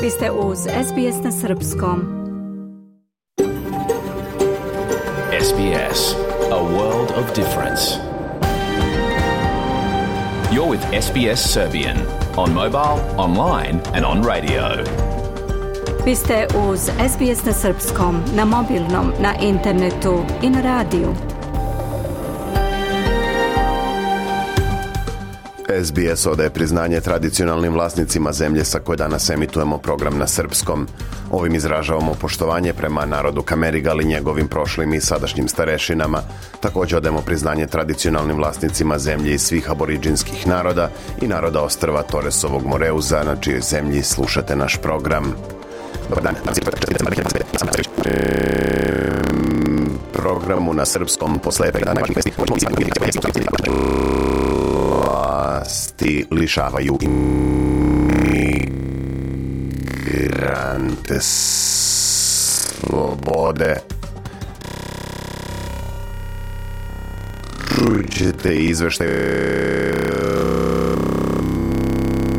Vi ste uz SBS na Srpskom. SBS, a world of difference. You're with SBS Serbian on mobile, online and on radio. Vi ste uz SBS na Srpskom, na mobilnom, na internetu i na radiju. SBS odaje priznanje tradicionalnim vlasnicima zemlje sa koje danas emitujemo program na srpskom. Ovim izražavamo poštovanje prema narodu Kamerigal i njegovim prošlim i sadašnjim starešinama. Također odajemo priznanje tradicionalnim vlasnicima zemlje i svih aboriđinskih naroda i naroda ostrva Toresovog Moreuza, na čijoj zemlji slušate naš program. Dobar dan. Programu na srpskom posle pregleda najvažnijih vesti vlasti lišavaju imigrante slobode. Čućete izveštaj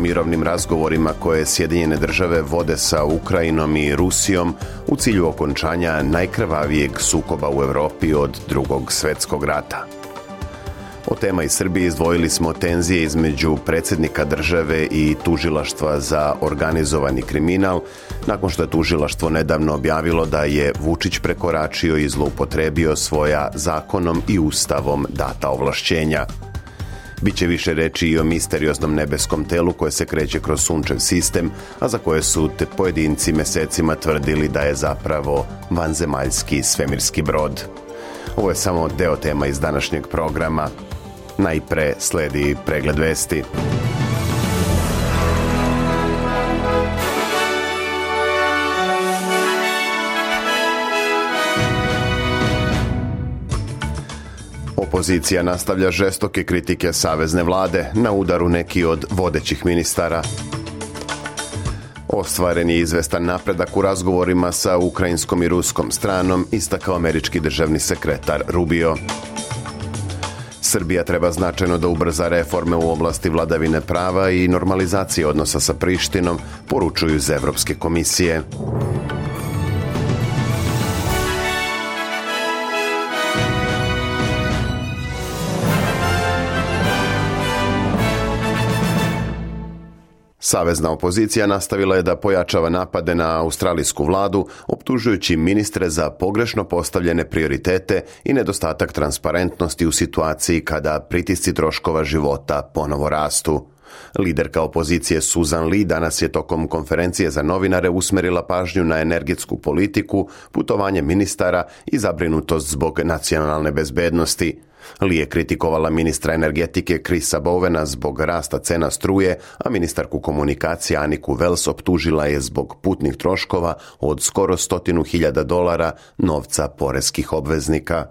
mirovnim razgovorima koje Sjedinjene države vode sa Ukrajinom i Rusijom u cilju okončanja najkrvavijeg sukoba u Europi od Drugog svjetskog rata. Od tema iz Srbije izdvojili smo tenzije između predsjednika države i tužilaštva za organizovani kriminal, nakon što je tužilaštvo nedavno objavilo da je Vučić prekoračio i zloupotrebio svoja zakonom i ustavom data ovlašćenja. Biće više reči i o misterioznom nebeskom telu koje se kreće kroz sunčev sistem, a za koje su te pojedinci mesecima tvrdili da je zapravo vanzemaljski svemirski brod. Ovo je samo deo tema iz današnjeg programa. Najpre sledi pregled vesti. Opozicija nastavlja žestoke kritike savezne vlade, na udaru neki od vodećih ministara. Ostvaren je izvestan napredak u razgovorima sa ukrajinskom i ruskom stranom, istakao američki državni sekretar Rubio. Srbija treba značajno da ubrza reforme u oblasti vladavine prava i normalizacije odnosa sa Prištinom, poručuju iz Evropske komisije. Savezna opozicija nastavila je da pojačava napade na australijsku vladu, optužujući ministre za pogrešno postavljene prioritete i nedostatak transparentnosti u situaciji kada pritisci troškova života ponovo rastu. Liderka opozicije Susan Lee danas je tokom konferencije za novinare usmerila pažnju na energetsku politiku, putovanje ministara i zabrinutost zbog nacionalne bezbednosti. Lee je kritikovala ministra energetike Chrisa Bowena zbog rasta cena struje, a ministarku komunikacije Aniku Wells optužila je zbog putnih troškova od skoro $100,000 novca poreskih obveznika.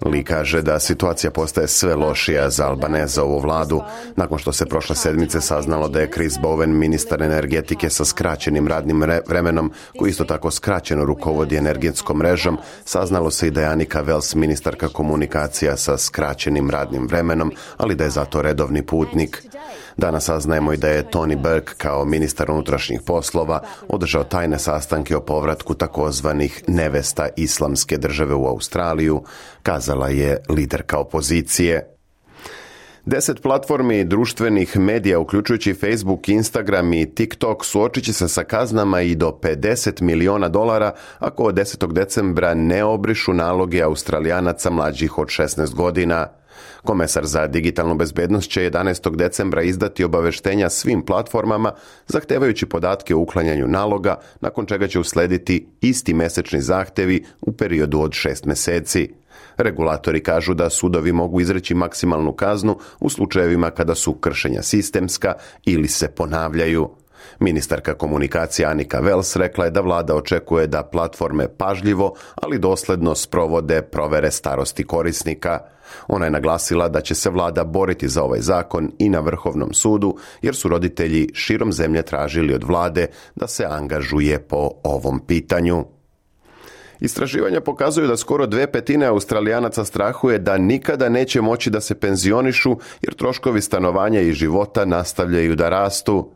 Lee kaže da situacija postaje sve lošija za Albanezovu vladu, nakon što se prošle sedmice saznalo da je Chris Bowen, ministar energetike sa skraćenim radnim vremenom, koji isto tako skraćeno rukovodi energetskom mrežom. Saznalo se i da je Anika Wells, ministarka komunikacija sa skraćenim radnim vremenom, ali da je zato redovni putnik. Danas saznajemo i da je Tony Burke kao ministar unutrašnjih poslova održao tajne sastanke o povratku takozvanih nevesta islamske države u Australiju, kazala je liderka opozicije. 10 platformi društvenih medija, uključujući Facebook, Instagram i TikTok, suočit će se sa kaznama i do $50 miliona ako od 10. decembra ne obrišu naloge Australijanaca mlađih od 16 godina. Komesar za digitalnu bezbednost će 11. decembra izdati obaveštenja svim platformama, zahtevajući podatke o uklanjanju naloga, nakon čega će uslediti isti mesečni zahtevi u periodu od 6 meseci. Regulatori kažu da sudovi mogu izreći maksimalnu kaznu u slučajevima kada su kršenja sistemska ili se ponavljaju. Ministarka komunikacije Anika Wells rekla je da vlada očekuje da platforme pažljivo, ali dosledno sprovode provere starosti korisnika. Ona je naglasila da će se vlada boriti za ovaj zakon i na Vrhovnom sudu, jer su roditelji širom zemlje tražili od vlade da se angažuje po ovom pitanju. Istraživanja pokazuju da skoro 2/5 Australijanaca strahuje da nikada neće moći da se penzionišu jer troškovi stanovanja i života nastavljaju da rastu.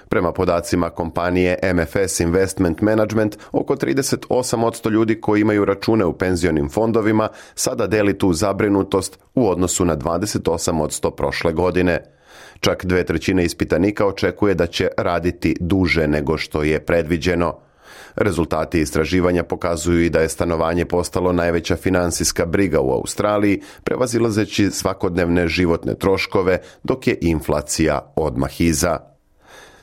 Prema podacima kompanije MFS Investment Management, oko 38% ljudi koji imaju račune u penzionim fondovima sada deli tu zabrinutost u odnosu na 28% prošle godine. Čak 2/3 ispitanika očekuje da će raditi duže nego što je predviđeno. Rezultati istraživanja pokazuju i da je stanovanje postalo najveća finansijska briga u Australiji, prevazilazeći svakodnevne životne troškove, dok je inflacija odmah iza.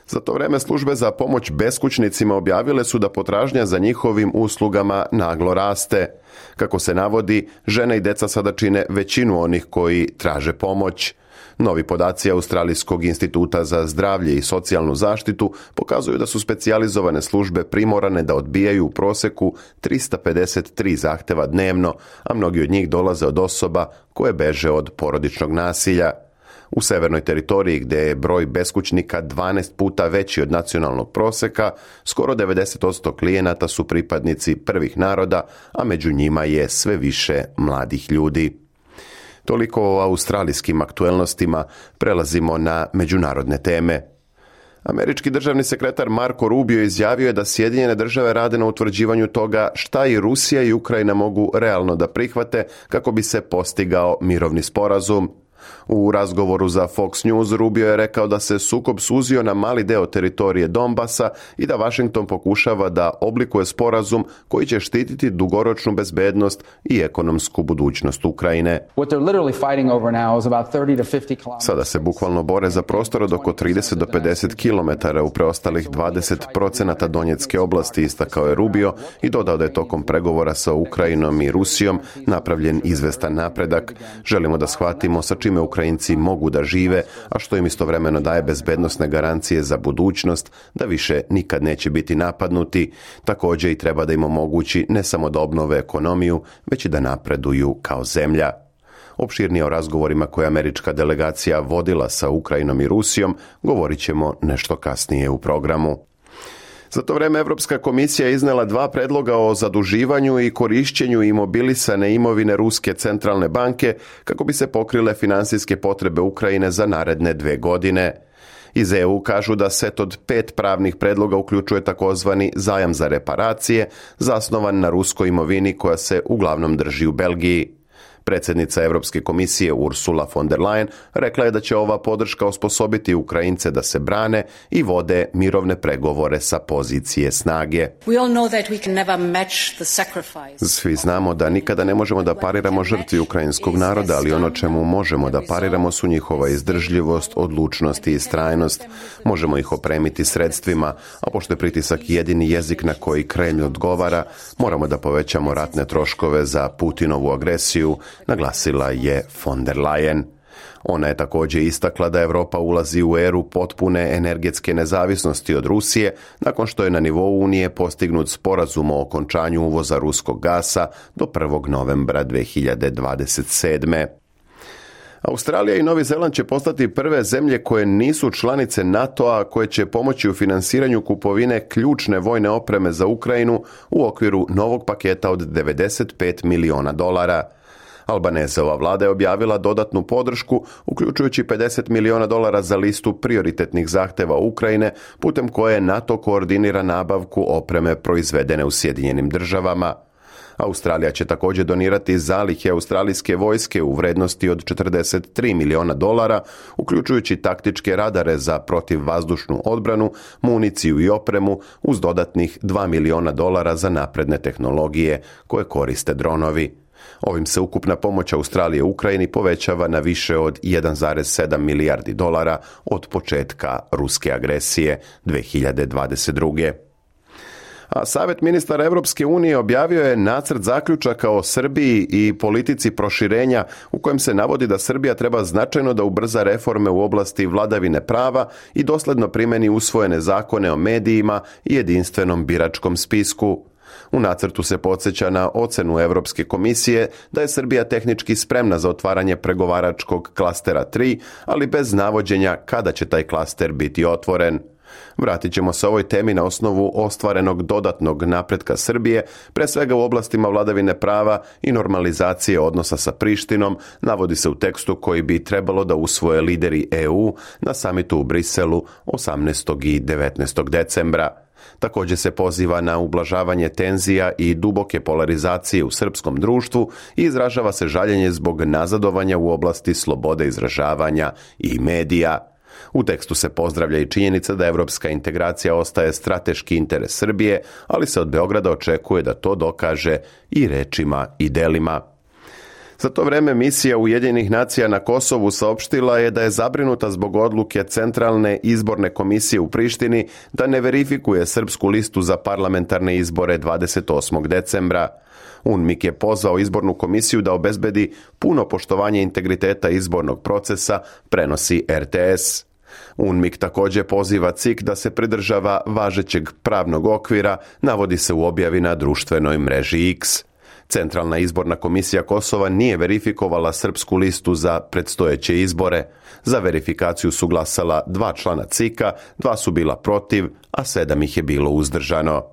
Za to vreme službe za pomoć beskućnicima objavile su da potražnja za njihovim uslugama naglo raste. Kako se navodi, žene i deca sada čine većinu onih koji traže pomoć. Novi podaci Australijskog instituta za zdravlje i socijalnu zaštitu pokazuju da su specijalizovane službe primorane da odbijaju u proseku 353 zahteva dnevno, a mnogi od njih dolaze od osoba koje beže od porodičnog nasilja. U Severnoj teritoriji, gdje je broj beskućnika 12 puta veći od nacionalnog proseka, skoro 90% klijenata su pripadnici prvih naroda, a među njima je sve više mladih ljudi. Toliko o australijskim aktuelnostima, prelazimo na međunarodne teme. Američki državni sekretar Marco Rubio izjavio je da Sjedinjene države rade na utvrđivanju toga šta i Rusija i Ukrajina mogu realno da prihvate kako bi se postigao mirovni sporazum. U razgovoru za Fox News Rubio je rekao da se sukob suzio na mali deo teritorije Donbasa i da Washington pokušava da oblikuje sporazum koji će štititi dugoročnu bezbednost i ekonomsku budućnost Ukrajine. Sada se bukvalno bore za prostor od oko 30 do 50 km u preostalih 20% Donjetske oblasti, istakao je Rubio i dodao da je tokom pregovora sa Ukrajinom i Rusijom napravljen izvestan napredak. Želimo da shvatimo sa čime Ukrajinci mogu da žive, a što im istovremeno daje bezbednosne garancije za budućnost, da više nikad neće biti napadnuti. Također i treba da im omogući ne samo da obnove ekonomiju, već i da napreduju kao zemlja. Opširnije o razgovorima koje američka delegacija vodila sa Ukrajinom i Rusijom govorit ćemo nešto kasnije u programu. Za to vreme Evropska komisija je iznela 2 predloga o zaduživanju i korišćenju imobilisane imovine Ruske centralne banke kako bi se pokrile finansijske potrebe Ukrajine za naredne 2 godine. Iz EU kažu da set od 5 pravnih predloga uključuje takozvani zajam za reparacije, zasnovan na ruskoj imovini koja se uglavnom drži u Belgiji. Predsjednica Europske komisije Ursula von der Leyen rekla je da će ova podrška osposobiti Ukrajince da se brane i vode mirovne pregovore sa pozicije snage. Svi znamo da nikada ne možemo da pariramo žrtvi ukrajinskog naroda, ali ono čemu možemo da pariramo su njihova izdržljivost, odlučnost i istrajnost. Možemo ih opremiti sredstvima, a pošto je pritisak jedini jezik na koji Kremlj odgovara, moramo da povećamo ratne troškove za Putinovu agresiju, naglasila je von der Leyen. Ona je također istakla da Europa ulazi u eru potpune energetske nezavisnosti od Rusije nakon što je na nivou Unije postignut sporazum o okončanju uvoza ruskog gasa do 1. novembra 2027. Australija i Novi Zeland će postati prve zemlje koje nisu članice NATO-a koje će pomoći u finansiranju kupovine ključne vojne opreme za Ukrajinu u okviru novog paketa od $95 miliona. Albanezova vlada je objavila dodatnu podršku, uključujući $50 miliona za listu prioritetnih zahteva Ukrajine, putem koje NATO koordinira nabavku opreme proizvedene u Sjedinjenim državama. Australija će također donirati zalihe australijske vojske u vrednosti od $43 miliona, uključujući taktičke radare za protivvazdušnu odbranu, municiju i opremu, uz dodatnih $2 miliona za napredne tehnologije koje koriste dronovi. Ovim se ukupna pomoć Australije Ukrajini povećava na više od $1,7 milijardi od početka ruske agresije 2022. A Savjet ministara Europske unije objavio je nacrt zaključaka o Srbiji i politici proširenja u kojem se navodi da Srbija treba značajno da ubrza reforme u oblasti vladavine prava i dosledno primeni usvojene zakone o medijima i jedinstvenom biračkom spisku. U nacrtu se podsjeća na ocenu Europske komisije da je Srbija tehnički spremna za otvaranje pregovaračkog klastera 3, ali bez navođenja kada će taj klaster biti otvoren. Vratit ćemo se ovoj temi na osnovu ostvarenog dodatnog napretka Srbije, pre svega u oblastima vladavine prava i normalizacije odnosa sa Prištinom, navodi se u tekstu koji bi trebalo da usvoje lideri EU na samitu u Briselu 18. i 19. decembra. Također se poziva na ublažavanje tenzija i duboke polarizacije u srpskom društvu i izražava se žaljenje zbog nazadovanja u oblasti slobode izražavanja i medija. U tekstu se pozdravlja i činjenica da evropska integracija ostaje strateški interes Srbije, ali se od Beograda očekuje da to dokaže i rečima i delima. Za to vreme misija Ujedinjenih nacija na Kosovu saopštila je da je zabrinuta zbog odluke Centralne izborne komisije u Prištini da ne verifikuje srpsku listu za parlamentarne izbore 28. decembra. UNMIK je pozvao izbornu komisiju da obezbedi puno poštovanje integriteta izbornog procesa, prenosi RTS. UNMIK također poziva CIK da se pridržava važećeg pravnog okvira, navodi se u objavi na društvenoj mreži X. Centralna izborna komisija Kosova nije verifikovala srpsku listu za predstojeće izbore. Za verifikaciju su glasala 2 člana CIK-a, 2 su bila protiv, a 7 ih je bilo uzdržano.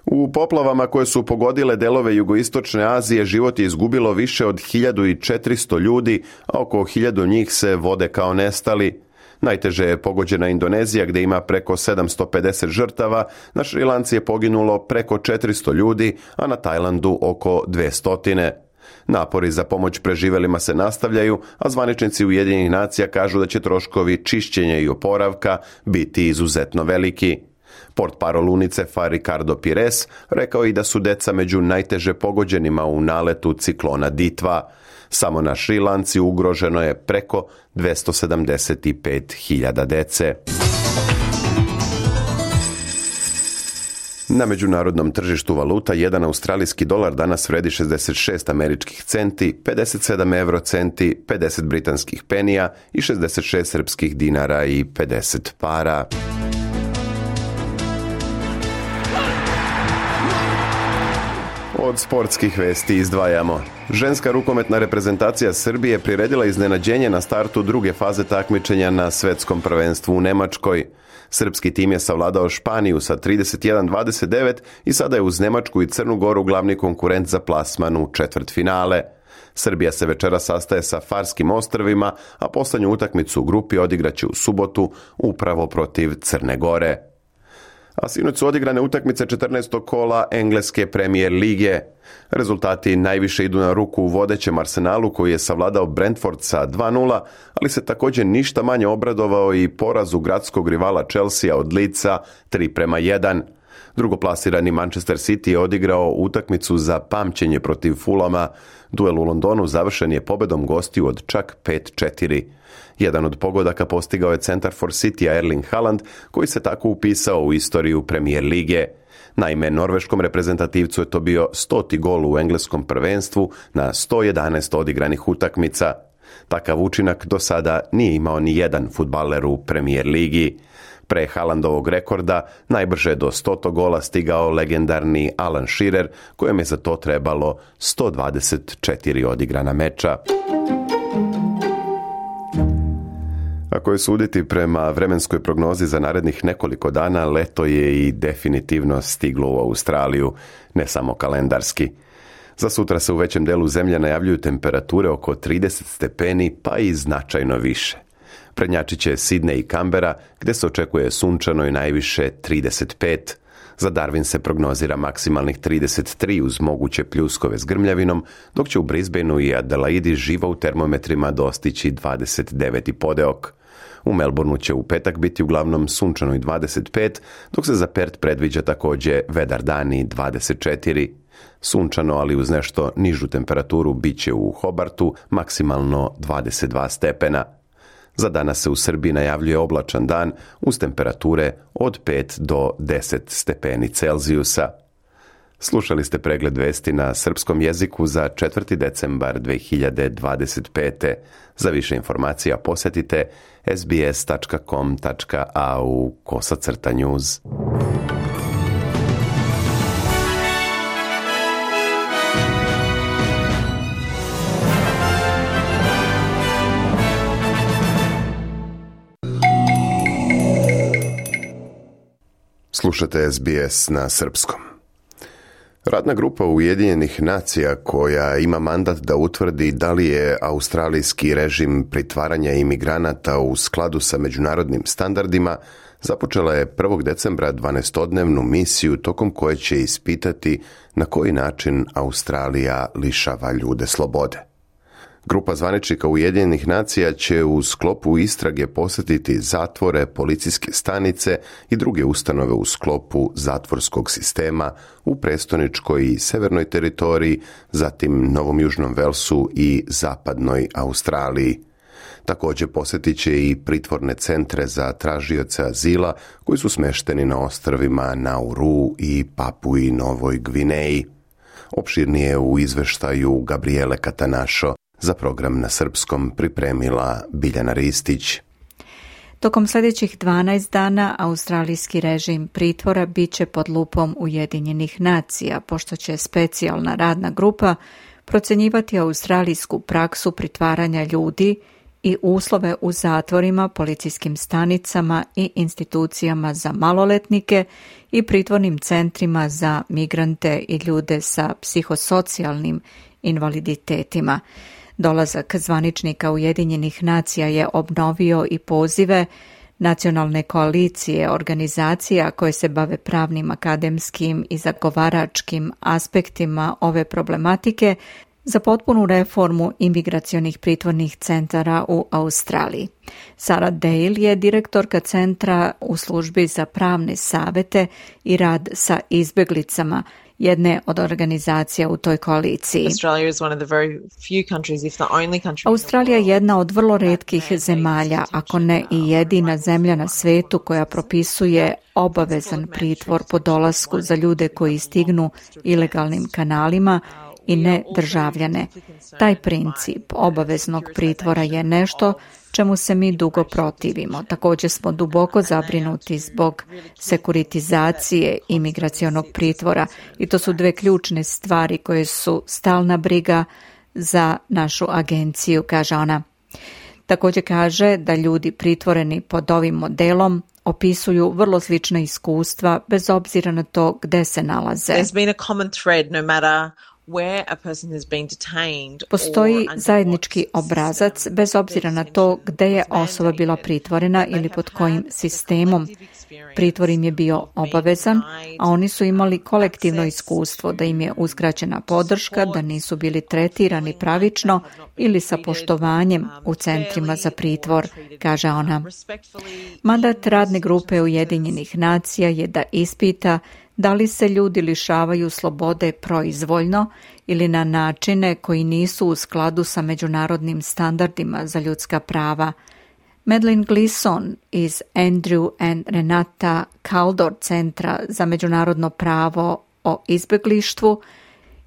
U poplavama koje su pogodile delove jugoistočne Azije život je izgubilo više od 1400 ljudi, a oko 1000 njih se vode kao nestali. Najteže je pogođena Indonezija gdje ima preko 750 žrtava, na Šrilanci je poginulo preko 400 ljudi, a na Tajlandu oko 200. Napori za pomoć preživelima se nastavljaju, a zvaničnici Ujedinjenih nacija kažu da će troškovi čišćenja i oporavka biti izuzetno veliki. Portparol UNICEF-a Ricardo Pires rekao i da su deca među najteže pogođenima u naletu ciklona Ditva. Samo na Šrilanci ugroženo je preko 275.000 dece. Na međunarodnom tržištu valuta jedan australijski dolar danas vredi 66 američkih centi, 57 eurocenti, 50 britanskih penija i 66 srpskih dinara i 50 para. Od sportskih vesti izdvajamo. Ženska rukometna reprezentacija Srbije priredila iznenađenje na startu druge faze takmičenja na svetskom prvenstvu u Nemačkoj. Srpski tim je savladao Španiju sa 31-29 i sada je uz Nemačku i Crnu Goru glavni konkurent za plasman u četvrtfinale. Srbija se večera sastaje sa Farskim ostrvima, a poslednju utakmicu u grupi odigraće u subotu upravo protiv Crne Gore. A sinoć su odigrane utakmice 14. kola engleske Premier lige. Rezultati najviše idu na ruku u vodećem Arsenalu koji je savladao Brentford sa 2-0, ali se također ništa manje obradovao i porazu gradskog rivala Chelsea od Leedsa 3-1. Drugoplasirani Manchester City je odigrao utakmicu za pamćenje protiv Fulama. Duel u Londonu završen je pobedom gostiju od čak 5-4. Jedan od pogodaka postigao je centar for City Erling Haaland, koji se tako upisao u istoriju Premier lige. Naime, norveškom reprezentativcu je to bio 100. gol u engleskom prvenstvu na 111 odigranih utakmica. Takav učinak do sada nije imao ni jedan fudbaler u Premier ligi. Pre Haalandovog rekorda najbrže do 100. gola stigao legendarni Alan Shearer, kojem je za to trebalo 124 odigrana meča. Ako je suditi prema vremenskoj prognozi za narednih nekoliko dana, leto je i definitivno stiglo u Australiju, ne samo kalendarski. Za sutra se u većem delu zemlje najavljuju temperature oko 30 stepeni, pa i značajno više. Prednjačit će Sidney i Kambera, gdje se očekuje sunčano i najviše 35. Za Darwin se prognozira maksimalnih 33 uz moguće pljuskove s grmljavinom, dok će u Brisbaneu i Adelaidi živa u termometrima dostići 29 i podeok. U Melbourneu će u petak biti uglavnom sunčano i 25, dok se za Perth predviđa također vedar dan i 24. Sunčano, ali uz nešto nižu temperaturu, bit će u Hobartu maksimalno 22 stepena. Za danas se u Srbiji najavljuje oblačan dan uz temperature od 5 do 10 stepeni Celzijusa. Slušali ste pregled vesti na srpskom jeziku za 4. decembar 2025. Za više informacija posjetite sbs.com.au/news. Slušate SBS na srpskom. Radna grupa Ujedinjenih nacija koja ima mandat da utvrdi da li je australijski režim pritvaranja imigranata u skladu sa međunarodnim standardima započela je 1. decembra 12-dnevnu misiju tokom koje će ispitati na koji način Australija lišava ljude slobode. Grupa zvaničnika Ujedinjenih nacija će u sklopu istrage posjetiti zatvore, policijske stanice i druge ustanove u sklopu zatvorskog sistema u prestoničkoj i severnoj teritoriji, zatim Novom Južnom Velsu i zapadnoj Australiji. Također posjetit će i pritvorne centre za tražioce azila koji su smešteni na ostrvima Nauru i Papui Novoj Gvineji. Opširnije u izveštaju Gabriele Katanašo za program na srpskom pripremila Biljana Ristić. Tokom sljedećih 12 dana australijski režim pritvora bit će pod lupom Ujedinjenih nacija, pošto će specijalna radna grupa procjenjivati australijsku praksu pritvaranja ljudi i uslove u zatvorima, policijskim stanicama i institucijama za maloletnike i pritvornim centrima za migrante i ljude sa psihosocijalnim invaliditetima. Dolazak zvaničnika Ujedinjenih nacija je obnovio i pozive nacionalne koalicije organizacija koje se bave pravnim, akademskim i zagovaračkim aspektima ove problematike za potpunu reformu imigracionih pritvornih centara u Australiji. Sarah Dale je direktorka centra u službi za pravne savete i rad sa izbjeglicama, jedne od organizacija u toj koaliciji. Australija je jedna od vrlo retkih zemalja, ako ne i jedina zemlja na svetu koja propisuje obavezan pritvor po dolasku za ljude koji stignu ilegalnim kanalima i ne državljane. Taj princip obaveznog pritvora je nešto čemu se mi dugo protivimo. Također smo duboko zabrinuti zbog sekuritizacije imigracionog pritvora i to su dve ključne stvari koje su stalna briga za našu agenciju, kaže ona. Također kaže da ljudi pritvoreni pod ovim modelom opisuju vrlo slična iskustva bez obzira na to gde se nalaze. Postoji zajednički obrazac bez obzira na to gde je osoba bila pritvorena ili pod kojim sistemom. Pritvor im je bio obavezan, a oni su imali kolektivno iskustvo da im je uskraćena podrška, da nisu bili tretirani pravično ili sa poštovanjem u centrima za pritvor, kaže ona. Mandat radne grupe Ujedinjenih nacija je da ispita da li se ljudi lišavaju slobode proizvoljno ili na načine koji nisu u skladu sa međunarodnim standardima za ljudska prava. Madeline Gleeson iz Andrew and Renata Kaldor centra za međunarodno pravo o izbjeglištvu,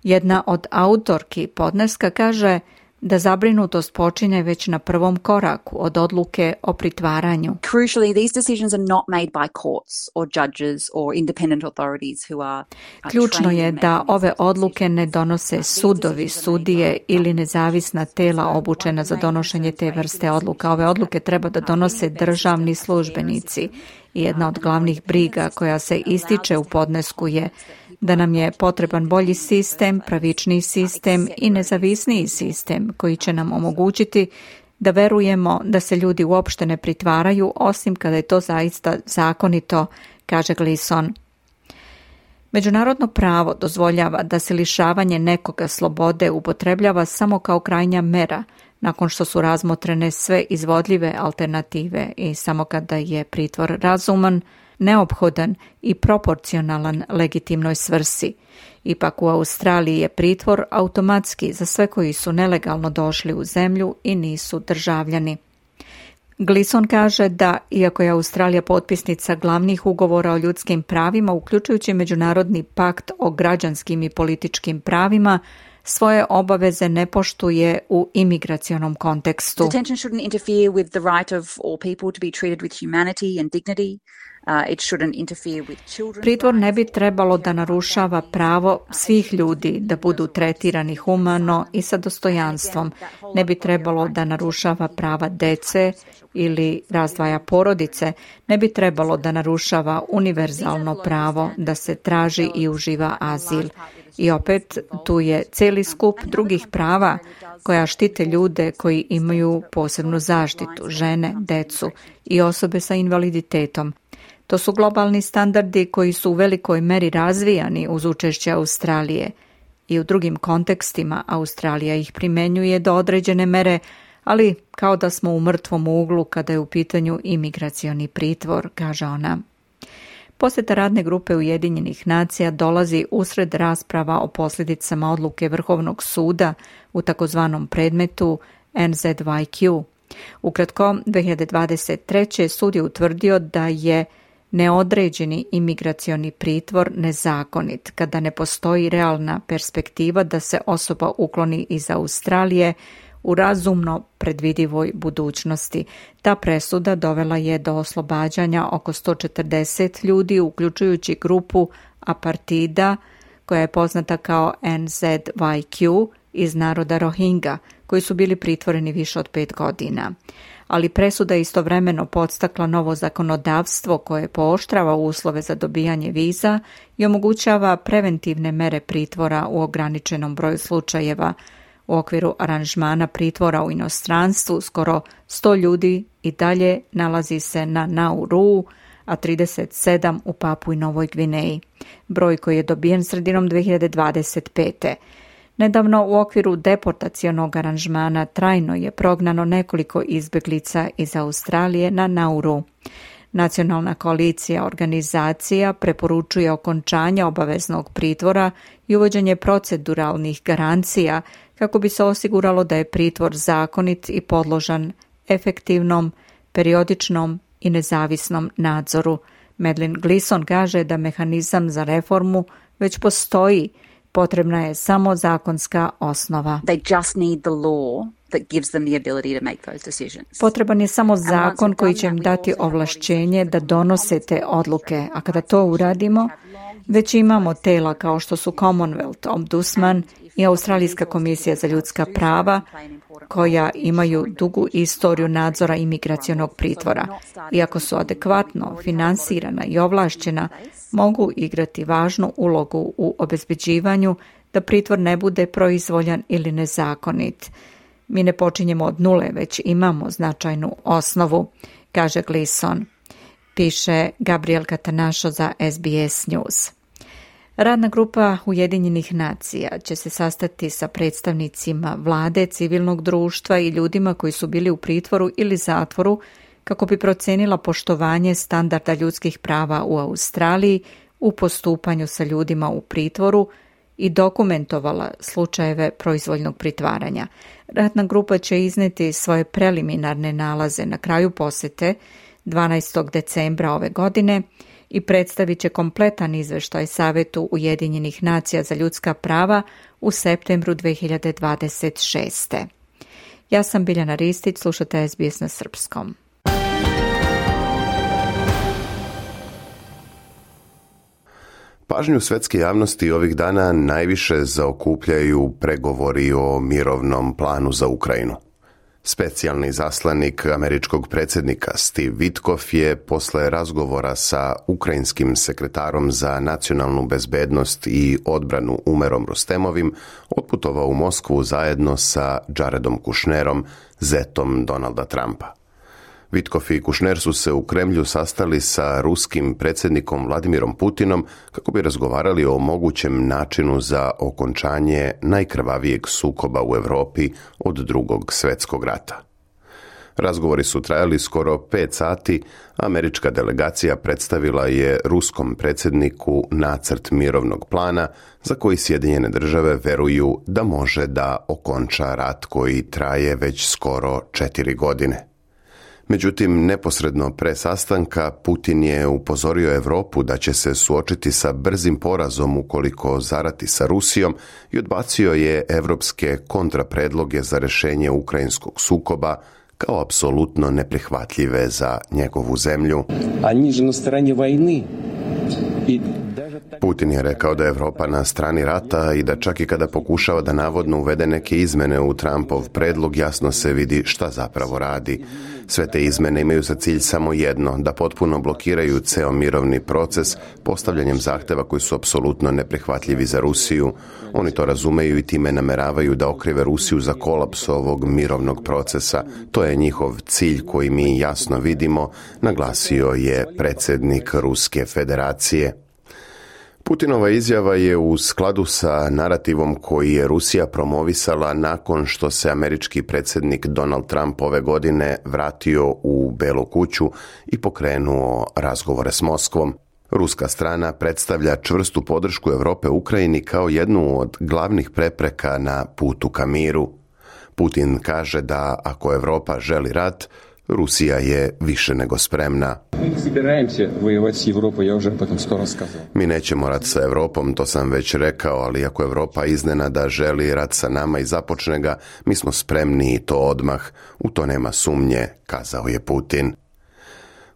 jedna od autorki podneska, kaže da zabrinutost počinje već na prvom koraku od odluke o pritvaranju. Crucially, these decisions are not made by courts or judges or independent authorities who are Ključno je da ove odluke ne donose sudovi, sudije ili nezavisna tela obučena za donošenje te vrste odluka. Ove odluke treba da donose državni službenici. I jedna od glavnih briga koja se ističe u podnesku je da nam je potreban bolji sistem, pravičniji sistem i nezavisniji sistem koji će nam omogućiti da verujemo da se ljudi uopšte ne pritvaraju osim kada je to zaista zakonito, kaže Gleeson. Međunarodno pravo dozvoljava da se lišavanje nekoga slobode upotrebljava samo kao krajnja mera nakon što su razmotrene sve izvodljive alternative i samo kada je pritvor razuman, neophodan i proporcionalan legitimnoj svrsi. Ipak u Australiji je pritvor automatski za sve koji su nelegalno došli u zemlju i nisu državljani. Gleeson kaže da, iako je Australija potpisnica glavnih ugovora o ljudskim pravima, uključujući Međunarodni pakt o građanskim i političkim pravima, svoje obaveze ne poštuje u imigracionom kontekstu. Detention shouldn't interfere with the right of all people to be treated with humanity and dignity. Pritvor ne bi trebalo da narušava pravo svih ljudi da budu tretirani humano i sa dostojanstvom. Ne bi trebalo da narušava prava dece ili razdvaja porodice. Ne bi trebalo da narušava univerzalno pravo da se traži i uživa azil. I opet tu je cijeli skup drugih prava koja štite ljude koji imaju posebnu zaštitu, žene, decu i osobe sa invaliditetom. To su globalni standardi koji su u velikoj meri razvijani uz učešće Australije i u drugim kontekstima Australija ih primenjuje do određene mere, ali kao da smo u mrtvom uglu kada je u pitanju imigracioni pritvor, kaže ona. Posjeta radne grupe Ujedinjenih nacija dolazi usred rasprava o posljedicama odluke Vrhovnog suda u takozvanom predmetu NZYQ. Ukratko, 2023. sud je utvrdio da je neodređeni imigracioni pritvor nezakonit kada ne postoji realna perspektiva da se osoba ukloni iz Australije u razumno predvidivoj budućnosti. Ta presuda dovela je do oslobađanja oko 140 ljudi, uključujući grupu apartida koja je poznata kao NZYQ iz naroda Rohingya, koji su bili pritvoreni više od 5 godina. Ali presuda je istovremeno podstakla novo zakonodavstvo koje pooštrava uslove za dobijanje viza i omogućava preventivne mere pritvora u ograničenom broju slučajeva. U okviru aranžmana pritvora u inostranstvu skoro 100 ljudi i dalje nalazi se na Nauru, a 37 u Papui Novoj Gvineji. Broj koji je dobijen sredinom 2025. Nedavno u okviru deportacionog aranžmana trajno je prognano nekoliko izbjeglica iz Australije na Nauru. Nacionalna koalicija organizacija preporučuje okončanje obaveznog pritvora i uvođenje proceduralnih garancija kako bi se osiguralo da je pritvor zakonit i podložan efektivnom, periodičnom i nezavisnom nadzoru. Madeline Gleeson kaže da mehanizam za reformu već postoji, potrebna je samo zakonska osnova. They just need the law that gives them the ability to make those decisions. Potreban je samo zakon koji će im dati ovlašćenje da donose te odluke, a kada to uradimo, već imamo tela kao što su Commonwealth Ombudsman i Australijska komisija za ljudska prava, koja imaju dugu istoriju nadzora imigracionog pritvora. Iako su adekvatno finansirana i ovlašćena, mogu igrati važnu ulogu u obezbeđivanju da pritvor ne bude proizvoljan ili nezakonit. Mi ne počinjemo od nule, već imamo značajnu osnovu, kaže Gleeson, piše Gabriel Catanacho za SBS News. Radna grupa Ujedinjenih nacija će se sastati sa predstavnicima vlade, civilnog društva i ljudima koji su bili u pritvoru ili zatvoru kako bi procenila poštovanje standarda ljudskih prava u Australiji u postupanju sa ljudima u pritvoru i dokumentovala slučajeve proizvoljnog pritvaranja. Radna grupa će izneti svoje preliminarne nalaze na kraju posjete 12. decembra ove godine i predstavit će kompletan izveštaj Savetu Ujedinjenih nacija za ljudska prava u septembru 2026. Ja sam Biljana Ristić, slušate SBS na srpskom. Pažnju svetske javnosti ovih dana najviše zaokupljaju pregovori o mirovnom planu za Ukrajinu. Specijalni izaslanik američkog predsjednika Steve Witkoff je posle razgovora sa ukrajinskim sekretarom za nacionalnu bezbednost i odbranu Umerom Rustemovim otputovao u Moskvu zajedno sa Jaredom Kushnerom, zetom Donalda Trumpa. Witkoff i Kushner su se u Kremlju sastali sa ruskim predsjednikom Vladimirom Putinom kako bi razgovarali o mogućem načinu za okončanje najkrvavijeg sukoba u Europi od Drugog svjetskog rata. Razgovori su trajali skoro 5 sati, a američka delegacija predstavila je ruskom predsjedniku nacrt mirovnog plana za koji Sjedinjene države veruju da može da okonča rat koji traje već skoro 4 godine. Međutim, neposredno pre sastanka Putin je upozorio Europu da će se suočiti sa brzim porazom ukoliko zarati sa Rusijom i odbacio je evropske kontrapredloge za rješenje ukrajinskog sukoba kao apsolutno neprihvatljive za njegovu zemlju. Они же на стороне войны. Putin je rekao da je Europa na strani rata i da čak i kada pokušava da navodno uvede neke izmene u Trumpov predlog, jasno se vidi šta zapravo radi. Sve te izmene imaju za cilj samo jedno, da potpuno blokiraju ceo mirovni proces postavljanjem zahteva koji su apsolutno neprihvatljivi za Rusiju. Oni to razumeju i time nameravaju da okrive Rusiju za kolaps ovog mirovnog procesa. To je njihov cilj koji mi jasno vidimo, naglasio je predsjednik Ruske federacije. Putinova izjava je u skladu sa narativom koji je Rusija promovisala nakon što se američki predsjednik Donald Trump ove godine vratio u Belu kuću i pokrenuo razgovore s Moskvom. Ruska strana predstavlja čvrstu podršku Europe Ukrajini kao jednu od glavnih prepreka na putu ka miru. Putin kaže da ako Europa želi rat, Rusija je više nego spremna. Mi nećemo rat sa Europom, to sam već rekao, ali ako Europa iznenada želi rat sa nama i započne ga, mi smo spremni i to odmah. U to nema sumnje, kazao je Putin.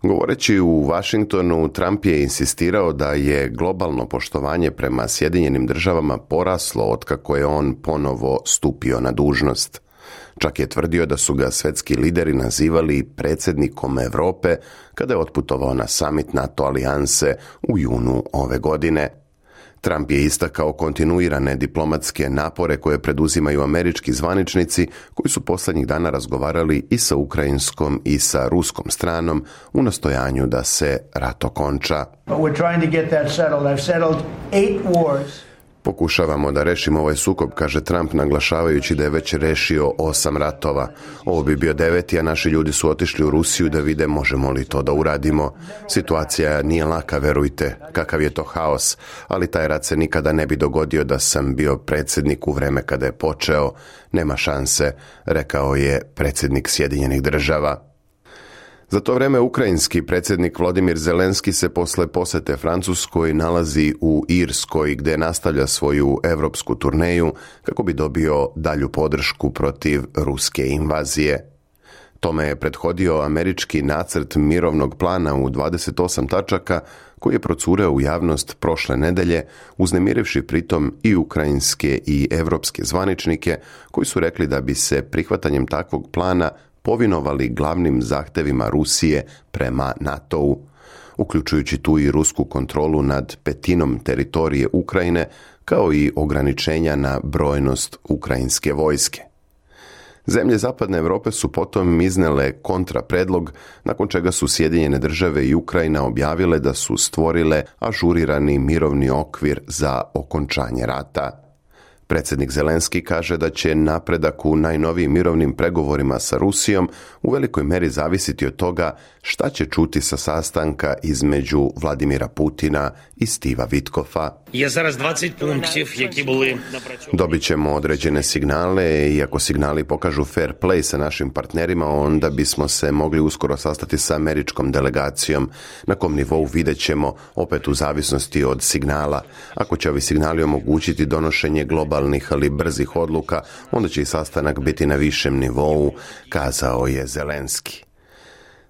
Govoreći u Washingtonu, Trump je insistirao da je globalno poštovanje prema Sjedinjenim državama poraslo otkako je on ponovo stupio na dužnost. Čak je tvrdio da su ga svetski lideri nazivali predsjednikom Europe kada je otputovao na summit NATO alijanse u junu ove godine. Trump je istakao kontinuirane diplomatske napore koje preduzimaju američki zvaničnici koji su posljednjih dana razgovarali i sa ukrajinskom i sa ruskom stranom u nastojanju da se rat okonča. Pokušavamo da rešimo ovaj sukob, kaže Trump, naglašavajući da je već rešio 8 ratova. Ovo bi bio 9, a naši ljudi su otišli u Rusiju da vide možemo li to da uradimo. Situacija nije laka, verujte, kakav je to haos, ali taj rat se nikada ne bi dogodio da sam bio predsjednik u vreme kada je počeo. Nema šanse, rekao je predsjednik Sjedinjenih Država. Za to vreme ukrajinski predsjednik Volodymyr Zelenski se posle posete Francuskoj nalazi u Irskoj gdje nastavlja svoju europsku turneju kako bi dobio dalju podršku protiv ruske invazije. Tome je prethodio američki nacrt mirovnog plana u 28 tačaka koji je procureo u javnost prošle nedelje, uznemirivši pritom i ukrajinske i evropske zvaničnike koji su rekli da bi se prihvatanjem takvog plana povinovali glavnim zahtevima Rusije prema NATO-u, uključujući tu i rusku kontrolu nad petinom teritorije Ukrajine, kao i ograničenja na brojnost ukrajinske vojske. Zemlje Zapadne Europe su potom iznele kontrapredlog, nakon čega su Sjedinjene Države i Ukrajina objavile da su stvorile ažurirani mirovni okvir za okončanje rata. Predsjednik Zelenski kaže da će napredak u najnovijim mirovnim pregovorima sa Rusijom u velikoj meri zavisiti od toga šta će čuti sa sastanka između Vladimira Putina i Stiva Witkofa. Dobit ćemo određene signale i ako signali pokažu fair play sa našim partnerima, onda bismo se mogli uskoro sastati sa američkom delegacijom. Na kom nivou vidjet ćemo, opet u zavisnosti od signala. Ako će ovi signali omogućiti donošenje globalnih ali brzih odluka, onda će i sastanak biti na višem nivou, kazao je Zelenski.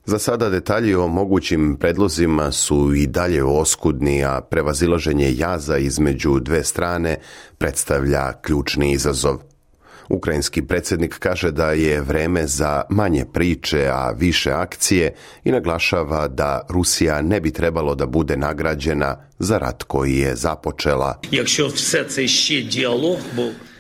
Za sada detalji o mogućim predlozima su i dalje oskudni, a prevazilaženje jaza između dve strane predstavlja ključni izazov. Ukrajinski predsjednik kaže da je vreme za manje priče, a više akcije i naglašava da Rusija ne bi trebalo da bude nagrađena za rat koji je započela.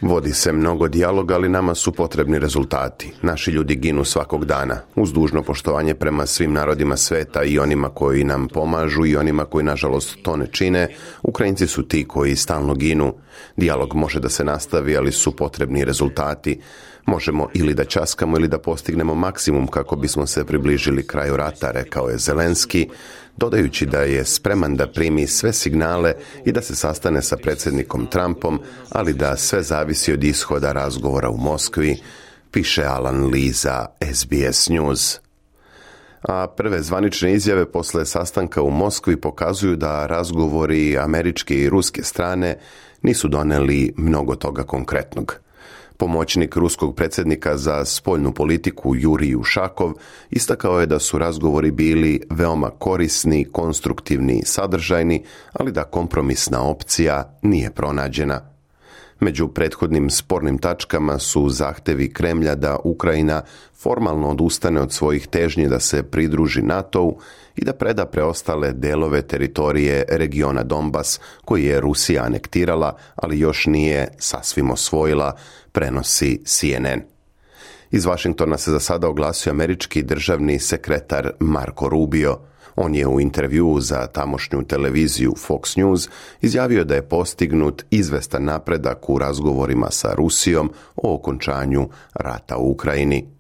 Vodi se mnogo dijaloga, ali nama su potrebni rezultati. Naši ljudi ginu svakog dana. Uz dužno poštovanje prema svim narodima sveta i onima koji nam pomažu i onima koji nažalost to ne čine, Ukrajinci su ti koji stalno ginu. Dijalog može da se nastavi, ali su potrebni rezultati. Možemo ili da ćaskamo ili da postignemo maksimum kako bismo se približili kraju rata, rekao je Zelenski, dodajući da je spreman da primi sve signale i da se sastane sa predsjednikom Trumpom, ali da sve zavisi od ishoda razgovora u Moskvi, piše Alan Lee za SBS News. A prve zvanične izjave posle sastanka u Moskvi pokazuju da razgovori američke i ruske strane nisu doneli mnogo toga konkretnog. Pomoćnik ruskog predsjednika za spoljnu politiku Jurij Ušakov istakao je da su razgovori bili veoma korisni, konstruktivni i sadržajni, ali da kompromisna opcija nije pronađena. Među prethodnim spornim tačkama su zahtevi Kremlja da Ukrajina formalno odustane od svojih težnji da se pridruži NATO-u i da preda preostale delove teritorije regiona Donbas, koji je Rusija anektirala, ali još nije sasvim osvojila, prenosi CNN. Iz Vašingtona se za sada oglasio američki državni sekretar Marco Rubio. On je u intervjuu za tamošnju televiziju Fox News izjavio da je postignut izvestan napredak u razgovorima sa Rusijom o okončanju rata u Ukrajini.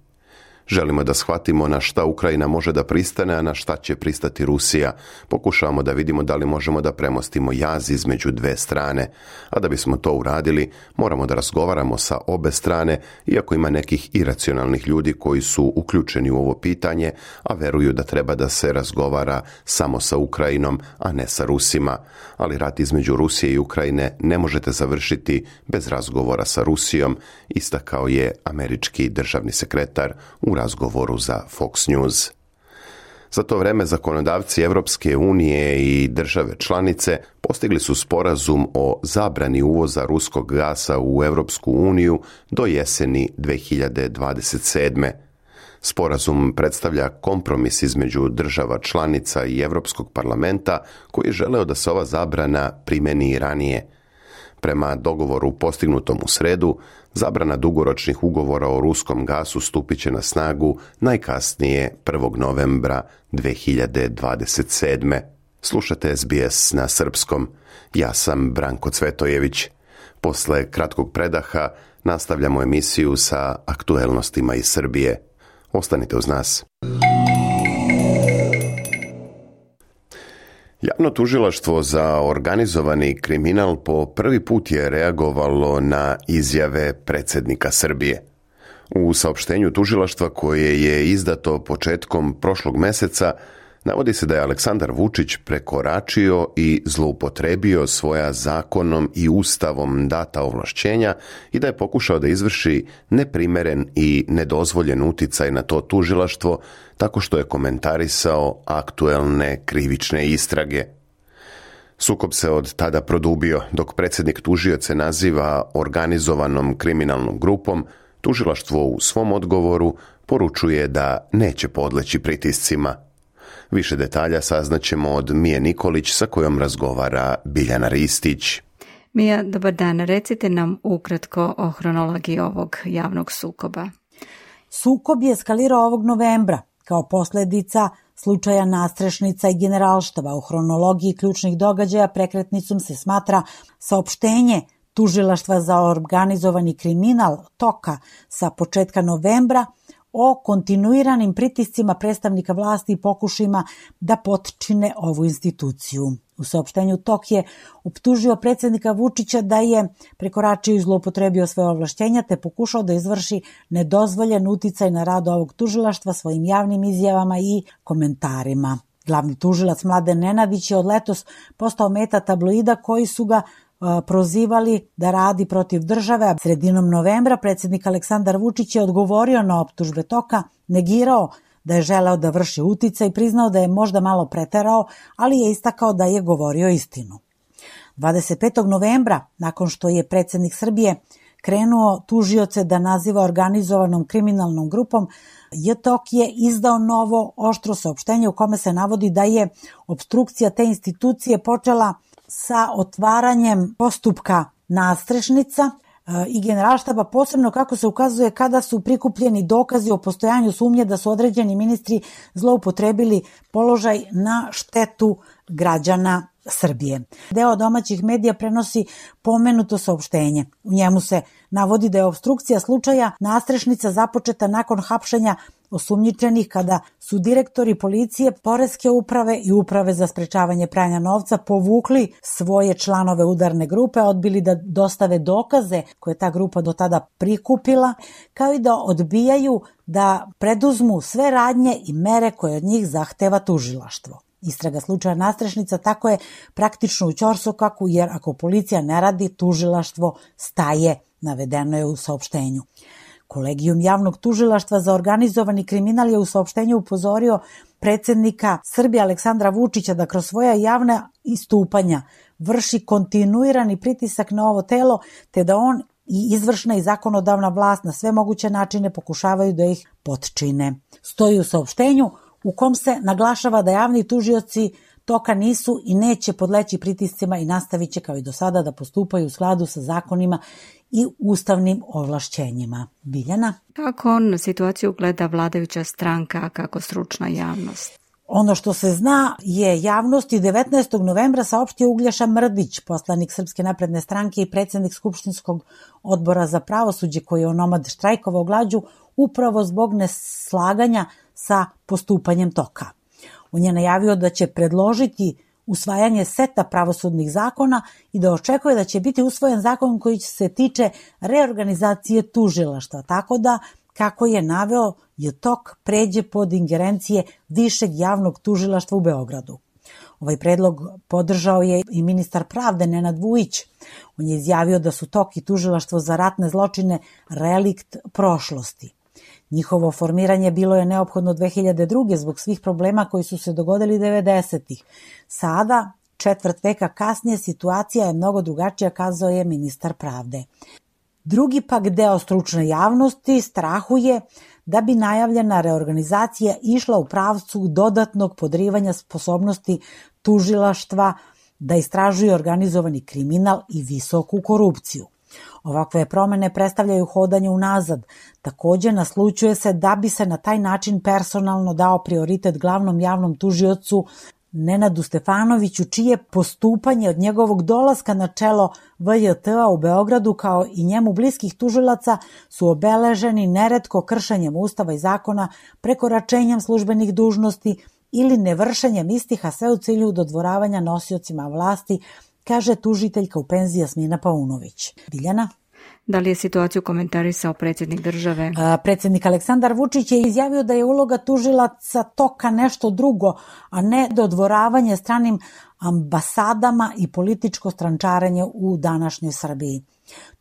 Želimo da shvatimo na šta Ukrajina može da pristane, a na šta će pristati Rusija. Pokušavamo da vidimo da li možemo da premostimo jaz između dve strane, a da bismo to uradili, moramo da razgovaramo sa obe strane, iako ima nekih iracionalnih ljudi koji su uključeni u ovo pitanje, a veruju da treba da se razgovara samo sa Ukrajinom, a ne sa Rusima. Ali rat između Rusije i Ukrajine ne možete završiti bez razgovora sa Rusijom, istakao je američki državni sekretar u razgovoru za Fox News. Za to vreme zakonodavci Evropske unije i države članice postigli su sporazum o zabrani uvoza ruskog gasa u Evropsku uniju do jeseni 2027. Sporazum predstavlja kompromis između država članica i Evropskog parlamenta koji je želeo da se ova zabrana primeni i ranije. Prema dogovoru postignutom u sredu, zabrana dugoročnih ugovora o ruskom gasu stupit će na snagu najkasnije 1. novembra 2027. Slušate SBS na srpskom. Ja sam Branko Cvetojević. Posle kratkog predaha nastavljamo emisiju sa aktuelnostima iz Srbije. Ostanite uz nas. Javno tužilaštvo za organizovani kriminal po prvi put je reagovalo na izjave predsjednika Srbije. U saopštenju tužilaštva koje je izdato početkom prošlog meseca navodi se da je Aleksandar Vučić prekoračio i zloupotrebio svoja zakonom i ustavom data ovlašćenja i da je pokušao da izvrši neprimeren i nedozvoljen uticaj na to tužilaštvo tako što je komentarisao aktuelne krivične istrage. Sukob se od tada produbio, dok predsjednik tužioce naziva organizovanom kriminalnom grupom, tužilaštvo u svom odgovoru poručuje da neće podleći pritiscima. Više detalja saznaćemo od Mije Nikolić sa kojom razgovara Biljana Ristić. Mija, dobar dan. Recite nam ukratko o hronologiji ovog javnog sukoba. Sukob je eskalirao ovog novembra kao posljedica slučaja Nastrešnica i Generalštaba. U hronologiji ključnih događaja prekretnicom se smatra saopštenje Tužilaštva za organizovani kriminal TOKA sa početka novembra o kontinuiranim pritiscima predstavnika vlasti i pokušajima da potčine ovu instituciju. U saopštenju TOK je optužio predsjednika Vučića da je prekoračio i zloupotrebio svoje ovlašćenja te pokušao da izvrši nedozvoljen uticaj na rad ovog tužilaštva svojim javnim izjavama i komentarima. Glavni tužilac Mladen Nenadić je od letos postao meta tabloida koji su ga prozivali da radi protiv države. Sredinom novembra predsjednik Aleksandar Vučić je odgovorio na optužbe TOK-a, negirao da je želeo da vrši uticaj, priznao da je možda malo preterao, ali je istakao da je govorio istinu. 25. novembra, nakon što je predsjednik Srbije krenuo tužioce da naziva organizovanom kriminalnom grupom, JTOK je izdao novo oštro saopštenje u kome se navodi da je opstrukcija te institucije počela sa otvaranjem postupka Nastrešnica i Generalštaba, posebno kako se ukazuje kada su prikupljeni dokazi o postojanju sumnje da su određeni ministri zloupotrebili položaj na štetu građana Srbije. Deo domaćih medija prenosi pomenuto saopštenje. U njemu se navodi da je opstrukcija slučaja Nastrešnica započeta nakon hapšenja osumnjičenih kada su direktori policije, poreske uprave i uprave za sprečavanje pranja novca povukli svoje članove udarne grupe, odbili da dostave dokaze koje ta grupa do tada prikupila, kao i da odbijaju da preduzmu sve radnje i mere koje od njih zahteva tužilaštvo. Istraga slučaja Nastrešnica tako je praktično u ćorsokaku, jer ako policija ne radi, tužilaštvo staje navedeno je u saopštenju. Kolegijum javnog tužilaštva za organizovani kriminal je u saopštenju upozorio predsjednika Srbije Aleksandra Vučića da kroz svoja javna istupanja vrši kontinuirani pritisak na ovo telo, te da on i izvršna i zakonodavna vlast na sve moguće načine pokušavaju da ih potčine. Stoji u saopštenju u kom se naglašava da javni tužioci toka nisu i neće podleći pritiscima i nastavit će kao i do sada da postupaju u skladu sa zakonima i ustavnim ovlašćenjima. Biljana? Kako on na situaciju gleda vladajuća stranka, a kako stručna javnost? Ono što se zna je javnosti 19. novembra saopštio Uglješa Mrdić, poslanik Srpske napredne stranke i predsjednik Skupštinskog odbora za pravosuđe koji je onomad štrajkovao glađu upravo zbog neslaganja sa postupanjem toka. On je najavio da će predložiti usvajanje seta pravosudnih zakona i da očekuje da će biti usvojen zakon koji se tiče reorganizacije tužilaštva, tako da, kako je naveo, je tok pređe pod ingerencije Višeg javnog tužilaštva u Beogradu. Ovaj predlog podržao je i ministar pravde Nenad Vujić. On je izjavio da su tok i tužilaštvo za ratne zločine relikt prošlosti. Njihovo formiranje bilo je neophodno 2002. zbog svih problema koji su se dogodili 90-ih. Sada, četvrt veka kasnije, situacija je mnogo drugačija, kazao je ministar pravde. Drugi pak deo stručne javnosti strahuje da bi najavljena reorganizacija išla u pravcu dodatnog podrivanja sposobnosti tužilaštva da istražuje organizovani kriminal i visoku korupciju. Ovakve promene predstavljaju hodanje unazad. Takođe, naslućuje se da bi se na taj način personalno dao prioritet glavnom javnom tužiocu Nenadu Stefanoviću, čije postupanje od njegovog dolaska na čelo VJT-a u Beogradu kao i njemu bliskih tužilaca su obeleženi neretko kršenjem ustava i zakona, prekoračenjem službenih dužnosti ili nevršenjem istih, a sve u cilju dodvoravanja nosiocima vlasti, kaže tužiteljka u penziji Jasmina Paunović. Biljana? Da li je situaciju komentarisao predsjednik države? Predsjednik Aleksandar Vučić je izjavio da je uloga tužilaca toka nešto drugo, a ne dodvoravanje stranim ambasadama i političko strančarenje u današnjoj Srbiji.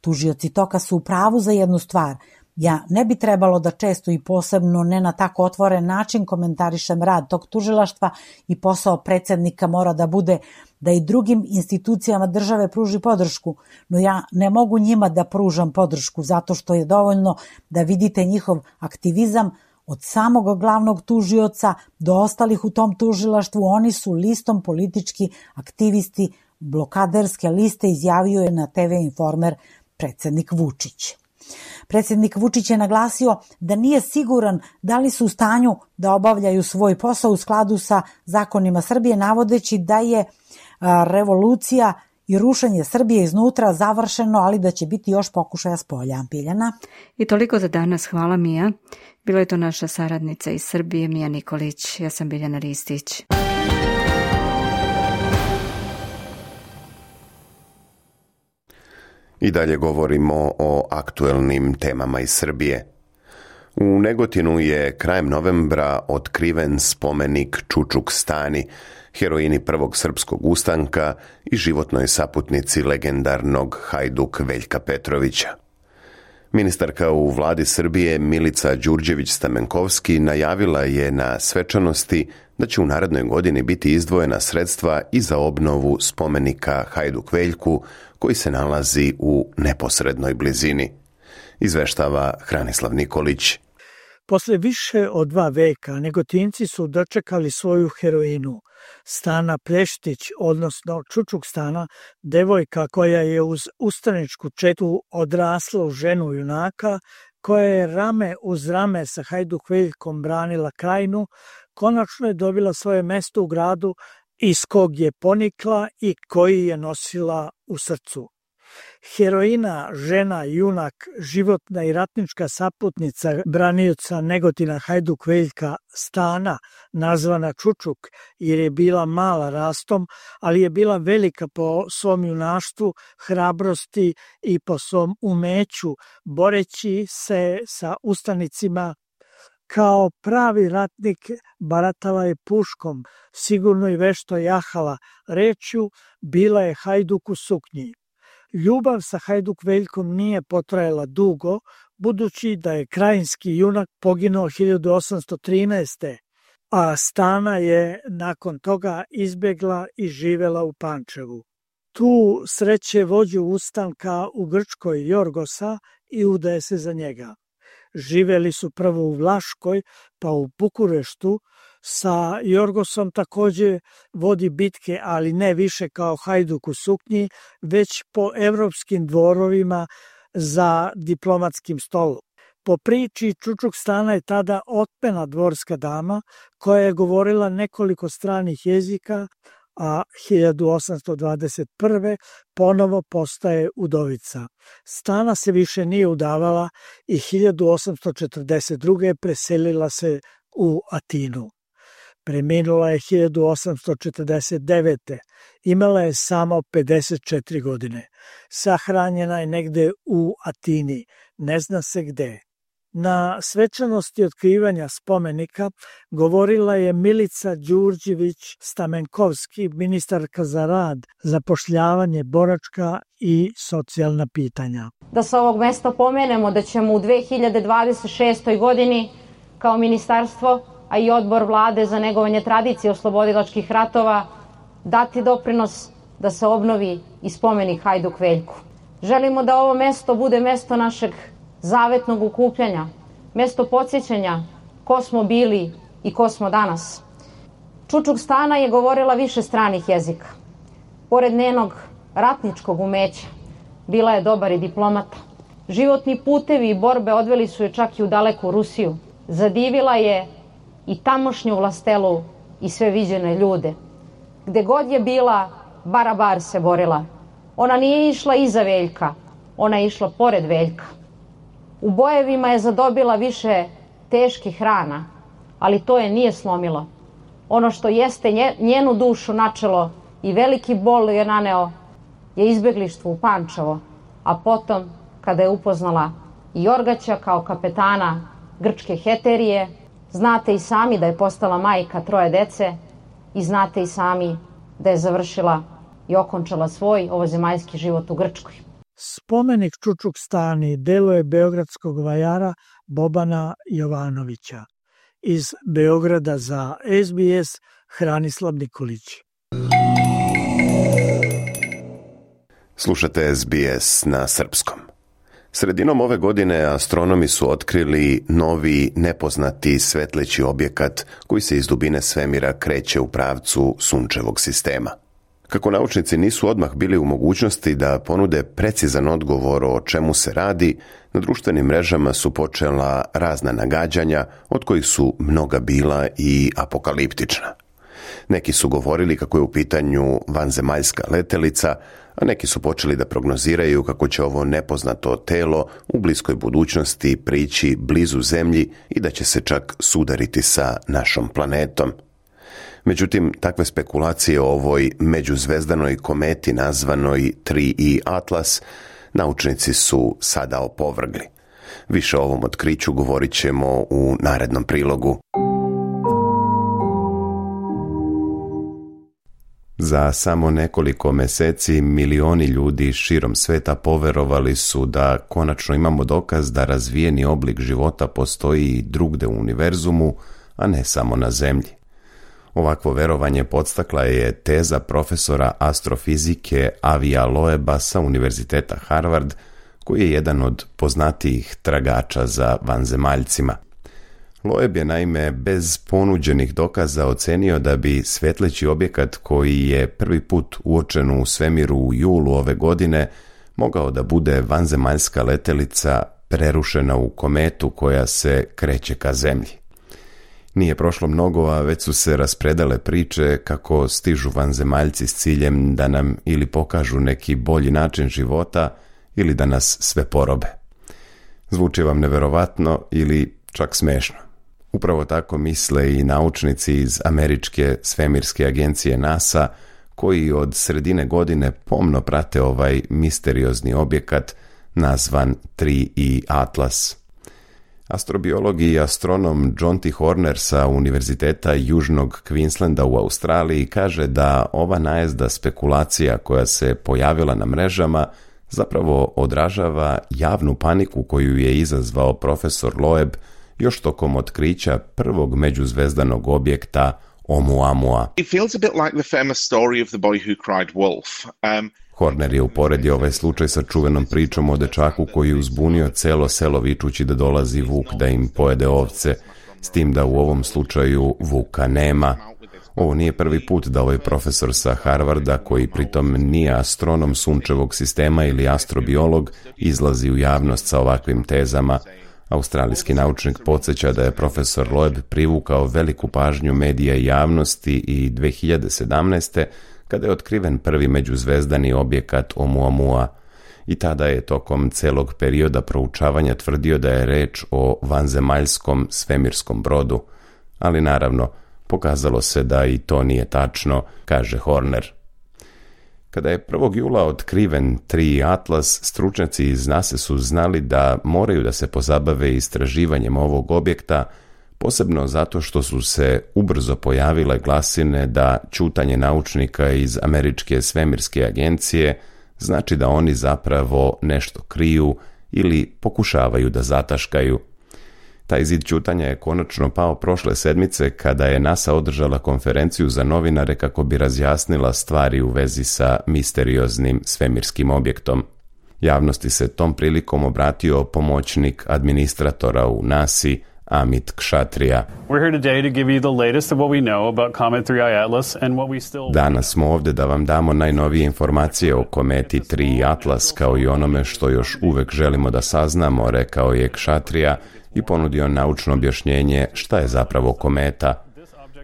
Tužioci toka su u pravu za jednu stvar. Ja ne bi trebalo da često i posebno ne na tako otvoren način komentarišem rad tog tužilaštva i posao predsjednika mora da bude da i drugim institucijama države pruži podršku, no ja ne mogu njima da pružam podršku zato što je dovoljno da vidite njihov aktivizam od samog glavnog tužioca do ostalih u tom tužilaštvu. Oni su listom politički aktivisti blokaderske liste, izjavio je na TV Informer predsjednik Vučić. Predsjednik Vučić je naglasio da nije siguran da li su u stanju da obavljaju svoj posao u skladu sa zakonima Srbije, navodeći da je revolucija i rušenje Srbije iznutra završeno, ali da će biti još pokušaja spolja. Biljana? I toliko za danas. Hvala, Mija. Bila je to naša saradnica iz Srbije, Mija Nikolić. Ja sam Biljana Ristić. I dalje govorimo o aktuelnim temama iz Srbije. U Negotinu je krajem novembra otkriven spomenik Čučuk Stani, heroini prvog srpskog ustanka i životnoj saputnici legendarnog Hajduk Veljka Petrovića. Ministarka u vladi Srbije Milica Đurđević-Stamenkovski najavila je na svečanosti da će u narednoj godini biti izdvojena sredstva i za obnovu spomenika Hajduk Veljku koji se nalazi u neposrednoj blizini. Izveštava Hranislav Nikolić. Posle više od 2 veka Negotinci su dočekali svoju heroinu, Stana Pleštić, odnosno Čučuk Stana, devojka koja je uz ustaničku četu odrasla u ženu junaka, koja je rame uz rame sa Hajduk Veljkom branila krajinu, konačno je dobila svoje mesto u gradu iz kog je ponikla i koji je nosila u srcu. Heroina, žena, junak, životna i ratnička saputnica branioca Negotina Hajduk Veljka Stana, nazvana Čučuk jer je bila mala rastom, ali je bila velika po svom junaštvu, hrabrosti i po svom umeću, boreći se sa ustanicima. Kao pravi ratnik baratala je puškom, sigurno i vešto jahala, rečju bila je Hajduk u suknji. Ljubav sa Hajduk Veljkom nije potrajala dugo, budući da je krajinski junak poginuo 1813. a Stana je nakon toga izbjegla i živela u Pančevu. Tu sreće vođu ustanka u Grčkoj Jorgosa i udaje se za njega. Živeli su prvo u Vlaškoj, pa u Bukureštu. Sa Jorgosom također vodi bitke, ali ne više kao Hajduk u suknji, već po evropskim dvorovima za diplomatskim stolom. Po priči Čučuk Stana je tada otmena dvorska dama koja je govorila nekoliko stranih jezika, a 1821. ponovo postaje udovica. Stana se više nije udavala i 1842. preselila se u Atinu. Preminula je 1849. Imala je samo 54 godine. Sahranjena je negde u Atini, ne zna se gde. Na svečanosti otkrivanja spomenika govorila je Milica Đurđević-Stamenkovski, ministarka za rad, zapošljavanje, boračka i socijalna pitanja. Da sa ovog mesta pomenemo da ćemo u 2026. godini kao ministarstvo, a i odbor vlade za negovanje tradicije oslobodilačkih ratova dati doprinos da se obnovi i spomenik Hajduk Veljku. Želimo da ovo mesto bude mesto našeg zavetnog okupljanja, mesto podsjećanja ko smo bili i ko smo danas. Čučuk Stana je govorila više stranih jezika. Pored njenog ratničkog umeća, bila je dobar i diplomata. Životni putevi i borbe odveli su je čak i u daleku Rusiju. Zadivila je i tamošnju vlastelu i sve viđene ljude. Gde god je bila, barabar se borila. Ona nije išla iza Veljka, ona je išla pored Veljka. U bojevima je zadobila više teških rana, ali to je nije slomilo. Ono što jeste njenu dušu načelo i veliki bol je naneo je izbeglištvo u Pančevo, a potom kada je upoznala i Jorgaća kao kapetana grčke heterije, znate i sami da je postala majka 3 dece i znate i sami da je završila i okončala svoj ovozemaljski život u Grčkoj. Spomenik Čučuk Stani delo je beogradskog vajara Bobana Jovanovića. Iz Beograda za SBS Hranislav Nikolić. Slušate SBS na srpskom. Sredinom ove godine astronomi su otkrili novi nepoznati svetleći objekat koji se iz dubine svemira kreće u pravcu sunčevog sistema. Kako naučnici nisu odmah bili u mogućnosti da ponude precizan odgovor o čemu se radi, na društvenim mrežama su počela razna nagađanja, od kojih su mnoga bila i apokaliptična. Neki su govorili kako je u pitanju vanzemaljska letelica, a neki su počeli da prognoziraju kako će ovo nepoznato telo u bliskoj budućnosti prići blizu Zemlji i da će se čak sudariti sa našom planetom. Međutim, takve spekulacije o ovoj međuzvezdanoj kometi nazvanoj 3E Atlas naučnici su sada opovrgli. Više o ovom otkriću govorit ćemo u narednom prilogu. Za samo nekoliko meseci milioni ljudi širom sveta poverovali su da konačno imamo dokaz da razvijeni oblik života postoji i drugde u univerzumu, a ne samo na Zemlji. Ovakvo verovanje podstakla je teza profesora astrofizike Avija Loeba sa Univerziteta Harvard, koji je jedan od poznatijih tragača za vanzemaljcima. Loeb je naime bez ponuđenih dokaza ocenio da bi svetleći objekat koji je prvi put uočen u svemiru u julu ove godine mogao da bude vanzemaljska letelica prerušena u kometu koja se kreće ka Zemlji. Nije prošlo mnogo, a već su se raspredale priče kako stižu vanzemaljci s ciljem da nam ili pokažu neki bolji način života ili da nas sve porobe. Zvuči vam neverovatno ili čak smešno. Upravo tako misle i naučnici iz američke svemirske agencije NASA, koji od sredine godine pomno prate ovaj misteriozni objekat nazvan 3E Atlas. Astrobiolog i astronom John T. Horner sa Univerziteta Južnog Queenslanda u Australiji kaže da ova najezda spekulacija koja se pojavila na mrežama zapravo odražava javnu paniku koju je izazvao profesor Loeb još tokom otkrića prvog međuzvezdanog objekta Oumuamua. It feels a bit like the famous story of the boy who cried wolf. Horner je uporedio ovaj slučaj sa čuvenom pričom o dečaku koji je uzbunio celo selo vičući da dolazi vuk da im pojede ovce, s tim da u ovom slučaju vuka nema. Ovo nije prvi put da ovaj profesor sa Harvarda, koji pritom nije astronom sunčevog sistema ili astrobiolog, izlazi u javnost sa ovakvim tezama. Australijski naučnik podsjeća da je profesor Loeb privukao veliku pažnju medija i javnosti i 2017. kada je otkriven prvi međuzvezdani objekat Oumuamua. I tada je tokom celog perioda proučavanja tvrdio da je reč o vanzemaljskom svemirskom brodu. Ali naravno, pokazalo se da i to nije tačno, kaže Horner. Kada je 1. jula otkriven 3 Atlas, stručnjaci iz NASA su znali da moraju da se pozabave istraživanjem ovog objekta, posebno zato što su se ubrzo pojavile glasine da ćutanje naučnika iz Američke svemirske agencije znači da oni zapravo nešto kriju ili pokušavaju da zataškaju. Taj zid ćutanja je konačno pao prošle sedmice kada je NASA održala konferenciju za novinare kako bi razjasnila stvari u vezi sa misterioznim svemirskim objektom. Javnosti se tom prilikom obratio pomoćnik administratora u NASA-i, Amit Kshatriya. Danas smo ovdje da vam damo najnovije informacije o kometi 3 Atlas, kao i onome što još uvek želimo da saznamo, rekao je Kshatriya i ponudio naučno objašnjenje šta je zapravo kometa.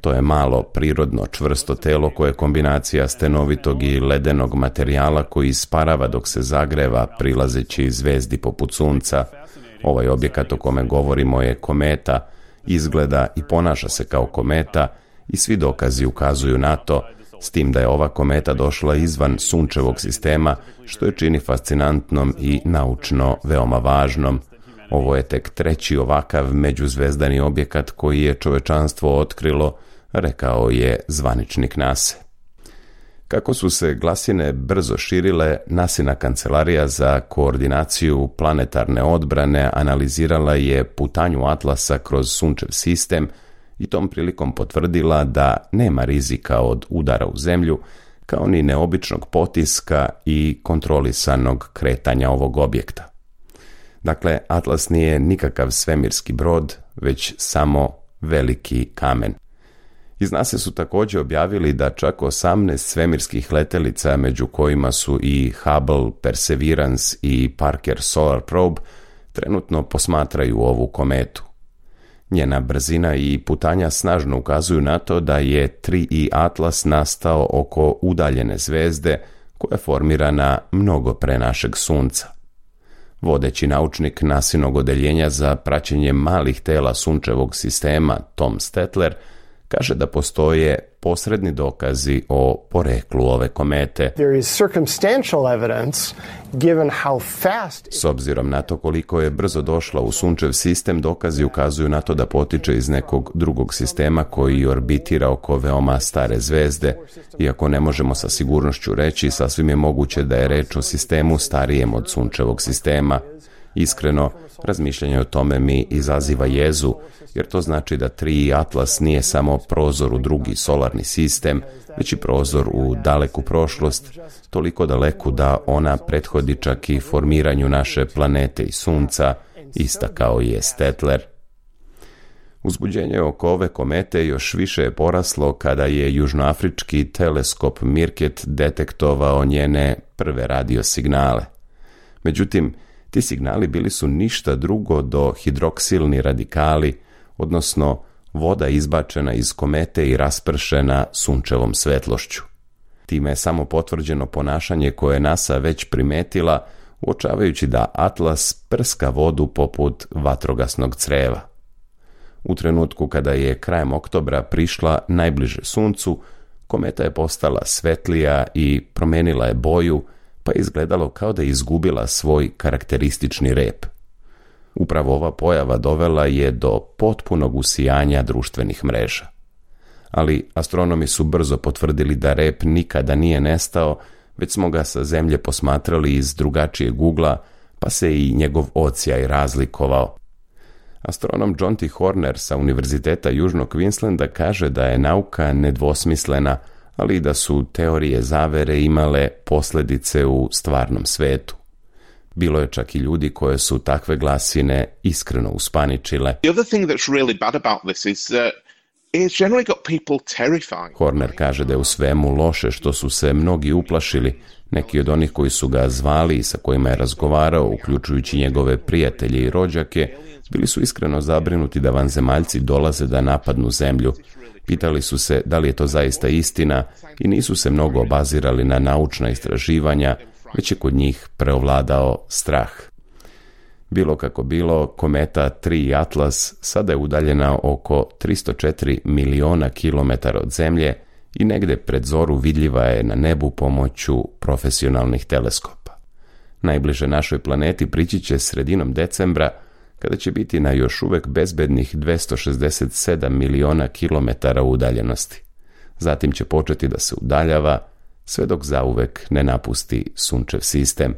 To je malo, prirodno, čvrsto telo koje je kombinacija stenovitog i ledenog materijala koji isparava dok se zagreva, prilazeći zvezdi poput sunca. Ovaj objekat o kome govorimo je kometa, izgleda i ponaša se kao kometa i svi dokazi ukazuju na to, s tim da je ova kometa došla izvan sunčevog sistema, što je čini fascinantnom i naučno veoma važnom. Ovo je tek 3. ovakav međuzvezdani objekat koji je čovečanstvo otkrilo, rekao je zvaničnik NASA. Kako su se glasine brzo širile, NASIna kancelarija za koordinaciju planetarne odbrane analizirala je putanju Atlasa kroz sunčev sistem i tom prilikom potvrdila da nema rizika od udara u zemlju, kao ni neobičnog potiska i kontrolisanog kretanja ovog objekta. Dakle, Atlas nije nikakav svemirski brod, već samo veliki kamen. Iz NASA su također objavili da čak 18 svemirskih letelica, među kojima su i Hubble, Perseverance i Parker Solar Probe, trenutno posmatraju ovu kometu. Njena brzina i putanja snažno ukazuju na to da je 3i Atlas nastao oko udaljene zvezde koja je formirana mnogo pre našeg Sunca. Vodeći naučnik NASinog odeljenja za praćenje malih tela sunčevog sistema, Tom Stetler, kaže da postoje posredni dokazi o poreklu ove komete. S obzirom na to koliko je brzo došla u sunčev sistem, dokazi ukazuju na to da potiče iz nekog drugog sistema koji orbitira oko veoma stare zvezde. Iako ne možemo sa sigurnošću reći, sasvim je moguće da je reč o sistemu starijem od sunčevog sistema. Iskreno, razmišljanje o tome mi izaziva jezu, jer to znači da 3 Atlas nije samo prozor u drugi solarni sistem, već i prozor u daleku prošlost, toliko daleku da ona prethodi čak i formiranju naše planete i Sunca, istakao je Stetler. Uzbuđenje oko ove komete još više je poraslo kada je južnoafrički teleskop Mirket detektovao njene prve radiosignale. Međutim, ti signali bili su ništa drugo do hidroksilni radikali, odnosno voda izbačena iz komete i raspršena sunčevom svetlošću. Time je samo potvrđeno ponašanje koje je NASA već primetila, uočavajući da Atlas prska vodu poput vatrogasnog creva. U trenutku kada je krajem oktobra prišla najbliže Suncu, kometa je postala svetlija i promenila je boju, pa je izgledalo kao da je izgubila svoj karakteristični rep. Upravo ova pojava dovela je do potpunog usijanja društvenih mreža. Ali astronomi su brzo potvrdili da rep nikada nije nestao, već smo ga sa zemlje posmatrali iz drugačijeg ugla, pa se i njegov odsjaj razlikovao. Astronom John T. Horner sa Univerziteta Južnog Queenslanda kaže da je nauka nedvosmislena, ali i da su teorije zavere imale posljedice u stvarnom svetu. Bilo je čak i ljudi koje su takve glasine iskreno uspaničile. The other thing that's really bad about this is that it's generally got people terrified. Horner kaže da je u svemu loše što su se mnogi uplašili. Neki od onih koji su ga zvali i sa kojima je razgovarao, uključujući njegove prijatelje i rođake, bili su iskreno zabrinuti da vanzemaljci dolaze da napadnu zemlju. Pitali su se da li je to zaista istina i nisu se mnogo obazirali na naučna istraživanja, već je kod njih preovladao strah. Bilo kako bilo, kometa 3 Atlas sada je udaljena oko 304 miliona kilometara od Zemlje i negde pred zoru vidljiva je na nebu pomoću profesionalnih teleskopa. Najbliže našoj planeti prići će sredinom decembra, kada će biti na još uvek bezbednih 267 miliona kilometara udaljenosti. Zatim će početi da se udaljava, sve dok zauvek ne napusti sunčev sistem.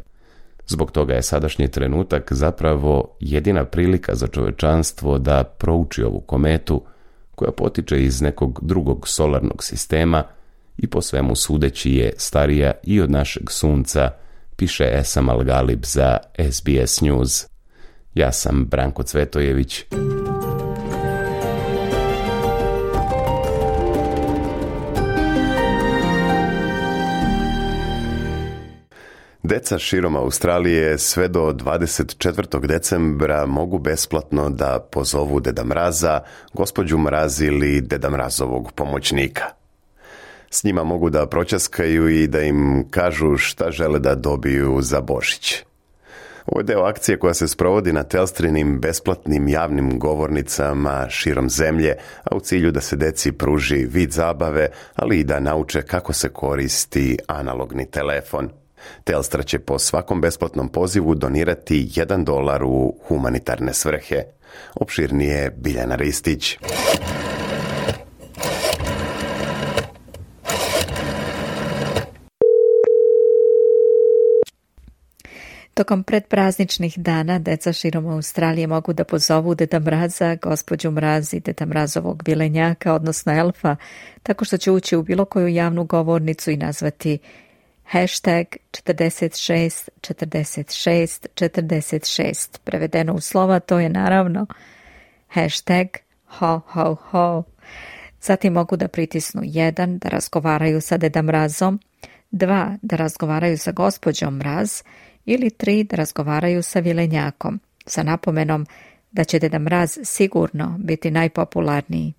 Zbog toga je sadašnji trenutak zapravo jedina prilika za čovečanstvo da prouči ovu kometu, koja potiče iz nekog drugog solarnog sistema i po svemu sudeći je starija i od našeg sunca, piše Esam Al-Galib za SBS News. Ja sam Branko Cvetojević. Deca širom Australije sve do 24. decembra mogu besplatno da pozovu Deda Mraza, gospođu Mraz ili Deda Mrazovog pomoćnika. S njima mogu da proćaskaju i da im kažu šta žele da dobiju za Božić. Ovo je deo akcije koja se sprovodi na Telstrinim besplatnim javnim govornicama širom zemlje, a u cilju da se deci pruži vid zabave, ali i da nauče kako se koristi analogni telefon. Telstra će po svakom besplatnom pozivu donirati $1 u humanitarne svrhe. Opširnije Biljana Ristić. Tokom predprazničnih dana deca širom Australije mogu da pozovu Deda Mraza, gospođu Mraz i Deda Mrazovog vilenjaka, odnosno elfa, tako što će ući u bilo koju javnu govornicu i nazvati #464646. Prevedeno u slova to je naravno #ho ho ho. Zatim mogu da pritisnu 1 da razgovaraju sa Deda Mrazom, 2 da razgovaraju sa gospođom Mraz ili 3 da razgovaraju sa vilenjakom, sa napomenom da će Deda Mraz sigurno biti najpopularniji.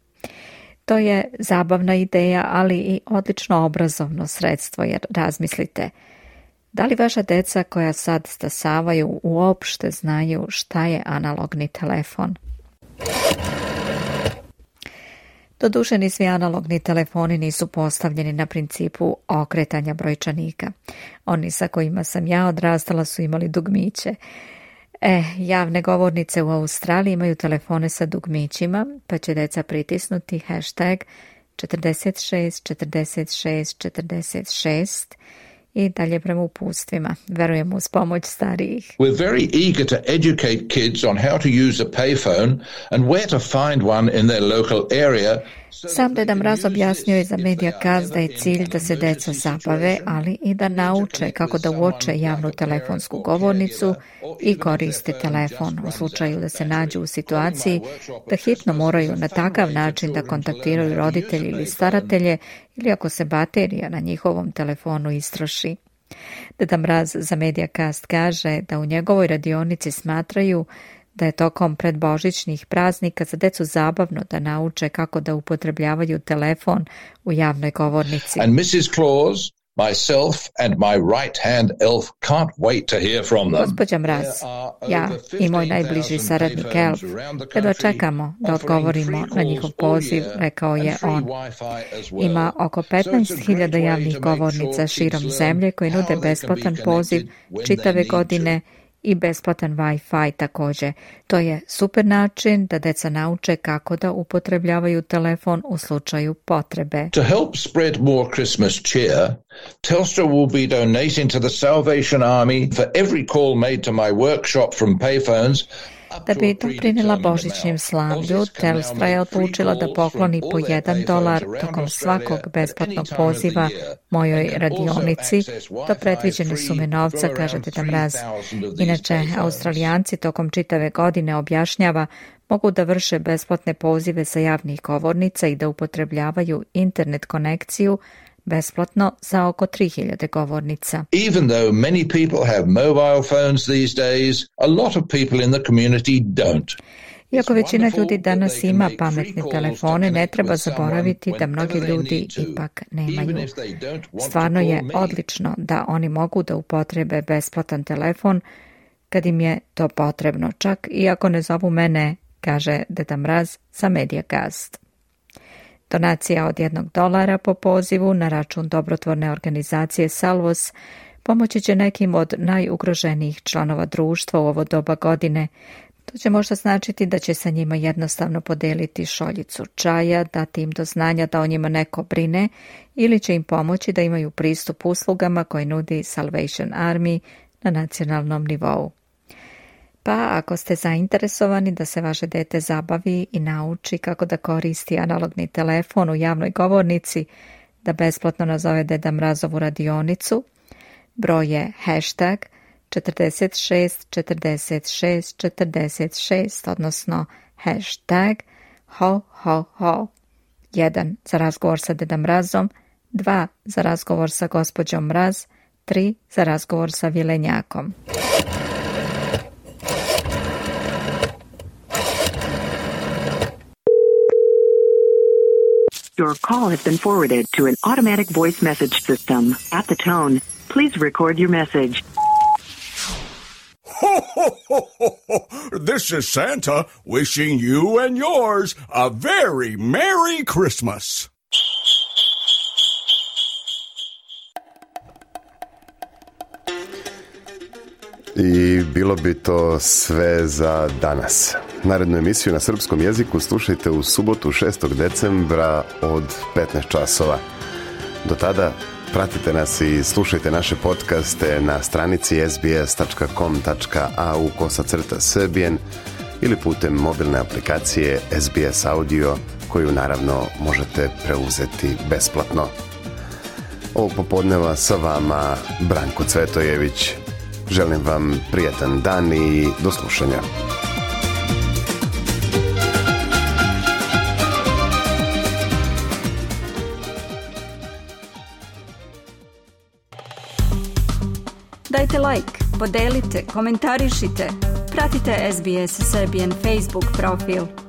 To je zabavna ideja, ali i odlično obrazovno sredstvo, jer razmislite, da li vaša deca koja sad stasavaju uopšte znaju šta je analogni telefon? Doduše, ni svi analogni telefoni nisu postavljeni na principu okretanja brojčanika. Oni sa kojima sam ja odrastala su imali dugmiće. Javne govornice u Australiji imaju telefone sa dugmićima, pa će deca pritisnuti #464646 i dalje prema upustvima. Verujem uz pomoć starijih. We're very eager to educate kids on how to use a payphone and where to find one in their local area. Sam Deda Mraz objasnio je za Mediacast da je cilj da se deca zabave, ali i da nauče kako da uoče javnu telefonsku govornicu i koriste telefon u slučaju da se nađu u situaciji da hitno moraju na takav način da kontaktiraju roditelji ili staratelje ili ako se baterija na njihovom telefonu istroši. Deda Mraz za Mediacast kaže da u njegovoj radionici smatraju da je tokom predbožićnih praznika za decu zabavno da nauče kako da upotrebljavaju telefon u javnoj govornici. And Mrs. Claus, myself and my right-hand elf can't wait to hear from them. Gospođa Mraz, ja i moj najbliži saradnik elf, kada čekamo da odgovorimo na njihov poziv, rekao je on. Ima oko 15.000 javnih govornica širom zemlje koji nude besplatan poziv čitave godine i besplatan Wi-Fi također. To je super način da deca nauče kako da upotrebljavaju telefon u slučaju potrebe. To help spread more Christmas cheer, Telstra will be donating to the Salvation Army for every call made to my workshop from payphones. Da bi doprinela božićnjem slavlju, Telstra je odlučila da pokloni po $1 tokom svakog besplatnog poziva mojoj radionici. Do predviđene sume novca, kaže Deda Mraz. Inače, Australijanci tokom čitave godine, objašnjava, mogu da vrše besplatne pozive sa javnih govornica i da upotrebljavaju internet konekciju besplatno za oko 3000 govornica. Even though many people have mobile phones these days, a lot of people in the community don't. Iako većina ljudi danas ima pametne telefone, ne treba zaboraviti da mnogi ljudi ipak nemaju. Stvarno je odlično da oni mogu da upotrebe besplatan telefon kad im je to potrebno, čak i ako ne zovu mene, kaže Deda Mraz za Mediacast. Donacija od $1 po pozivu na račun dobrotvorne organizacije Salvos pomoći će nekim od najugroženijih članova društva u ovo doba godine. To će možda značiti da će sa njima jednostavno podeliti šoljicu čaja, dati im do znanja da o njima neko brine ili će im pomoći da imaju pristup uslugama koje nudi Salvation Army na nacionalnom nivou. Pa ako ste zainteresovani da se vaše dete zabavi i nauči kako da koristi analogni telefon u javnoj govornici, da besplatno nazove Deda Mrazovu radionicu, broj je #464646, odnosno #ho. 1 za razgovor sa Dedom Mrazom, 2 za razgovor sa gospođom Mraz, 3 za razgovor sa Vilenjakom. Your call has been forwarded to an automatic voice message system. At the tone, please record your message. Ho, ho, ho, ho, ho. This is Santa wishing you and yours a very Merry Christmas. I bilo bi to sve za danas. Narednu emisiju na srpskom jeziku slušajte u subotu 6. decembra od 15 časova. Do tada pratite nas i slušajte naše podcaste na stranici sbs.com.au/Serbian ili putem mobilne aplikacije SBS Audio, koju naravno možete preuzeti besplatno. Ovog popodneva sa vama Branko Cvetojević. Želim vam prijatan dan i do slušanja. Dajte like, podelite, komentarišite. Pratite SBS Serbian Facebook profil.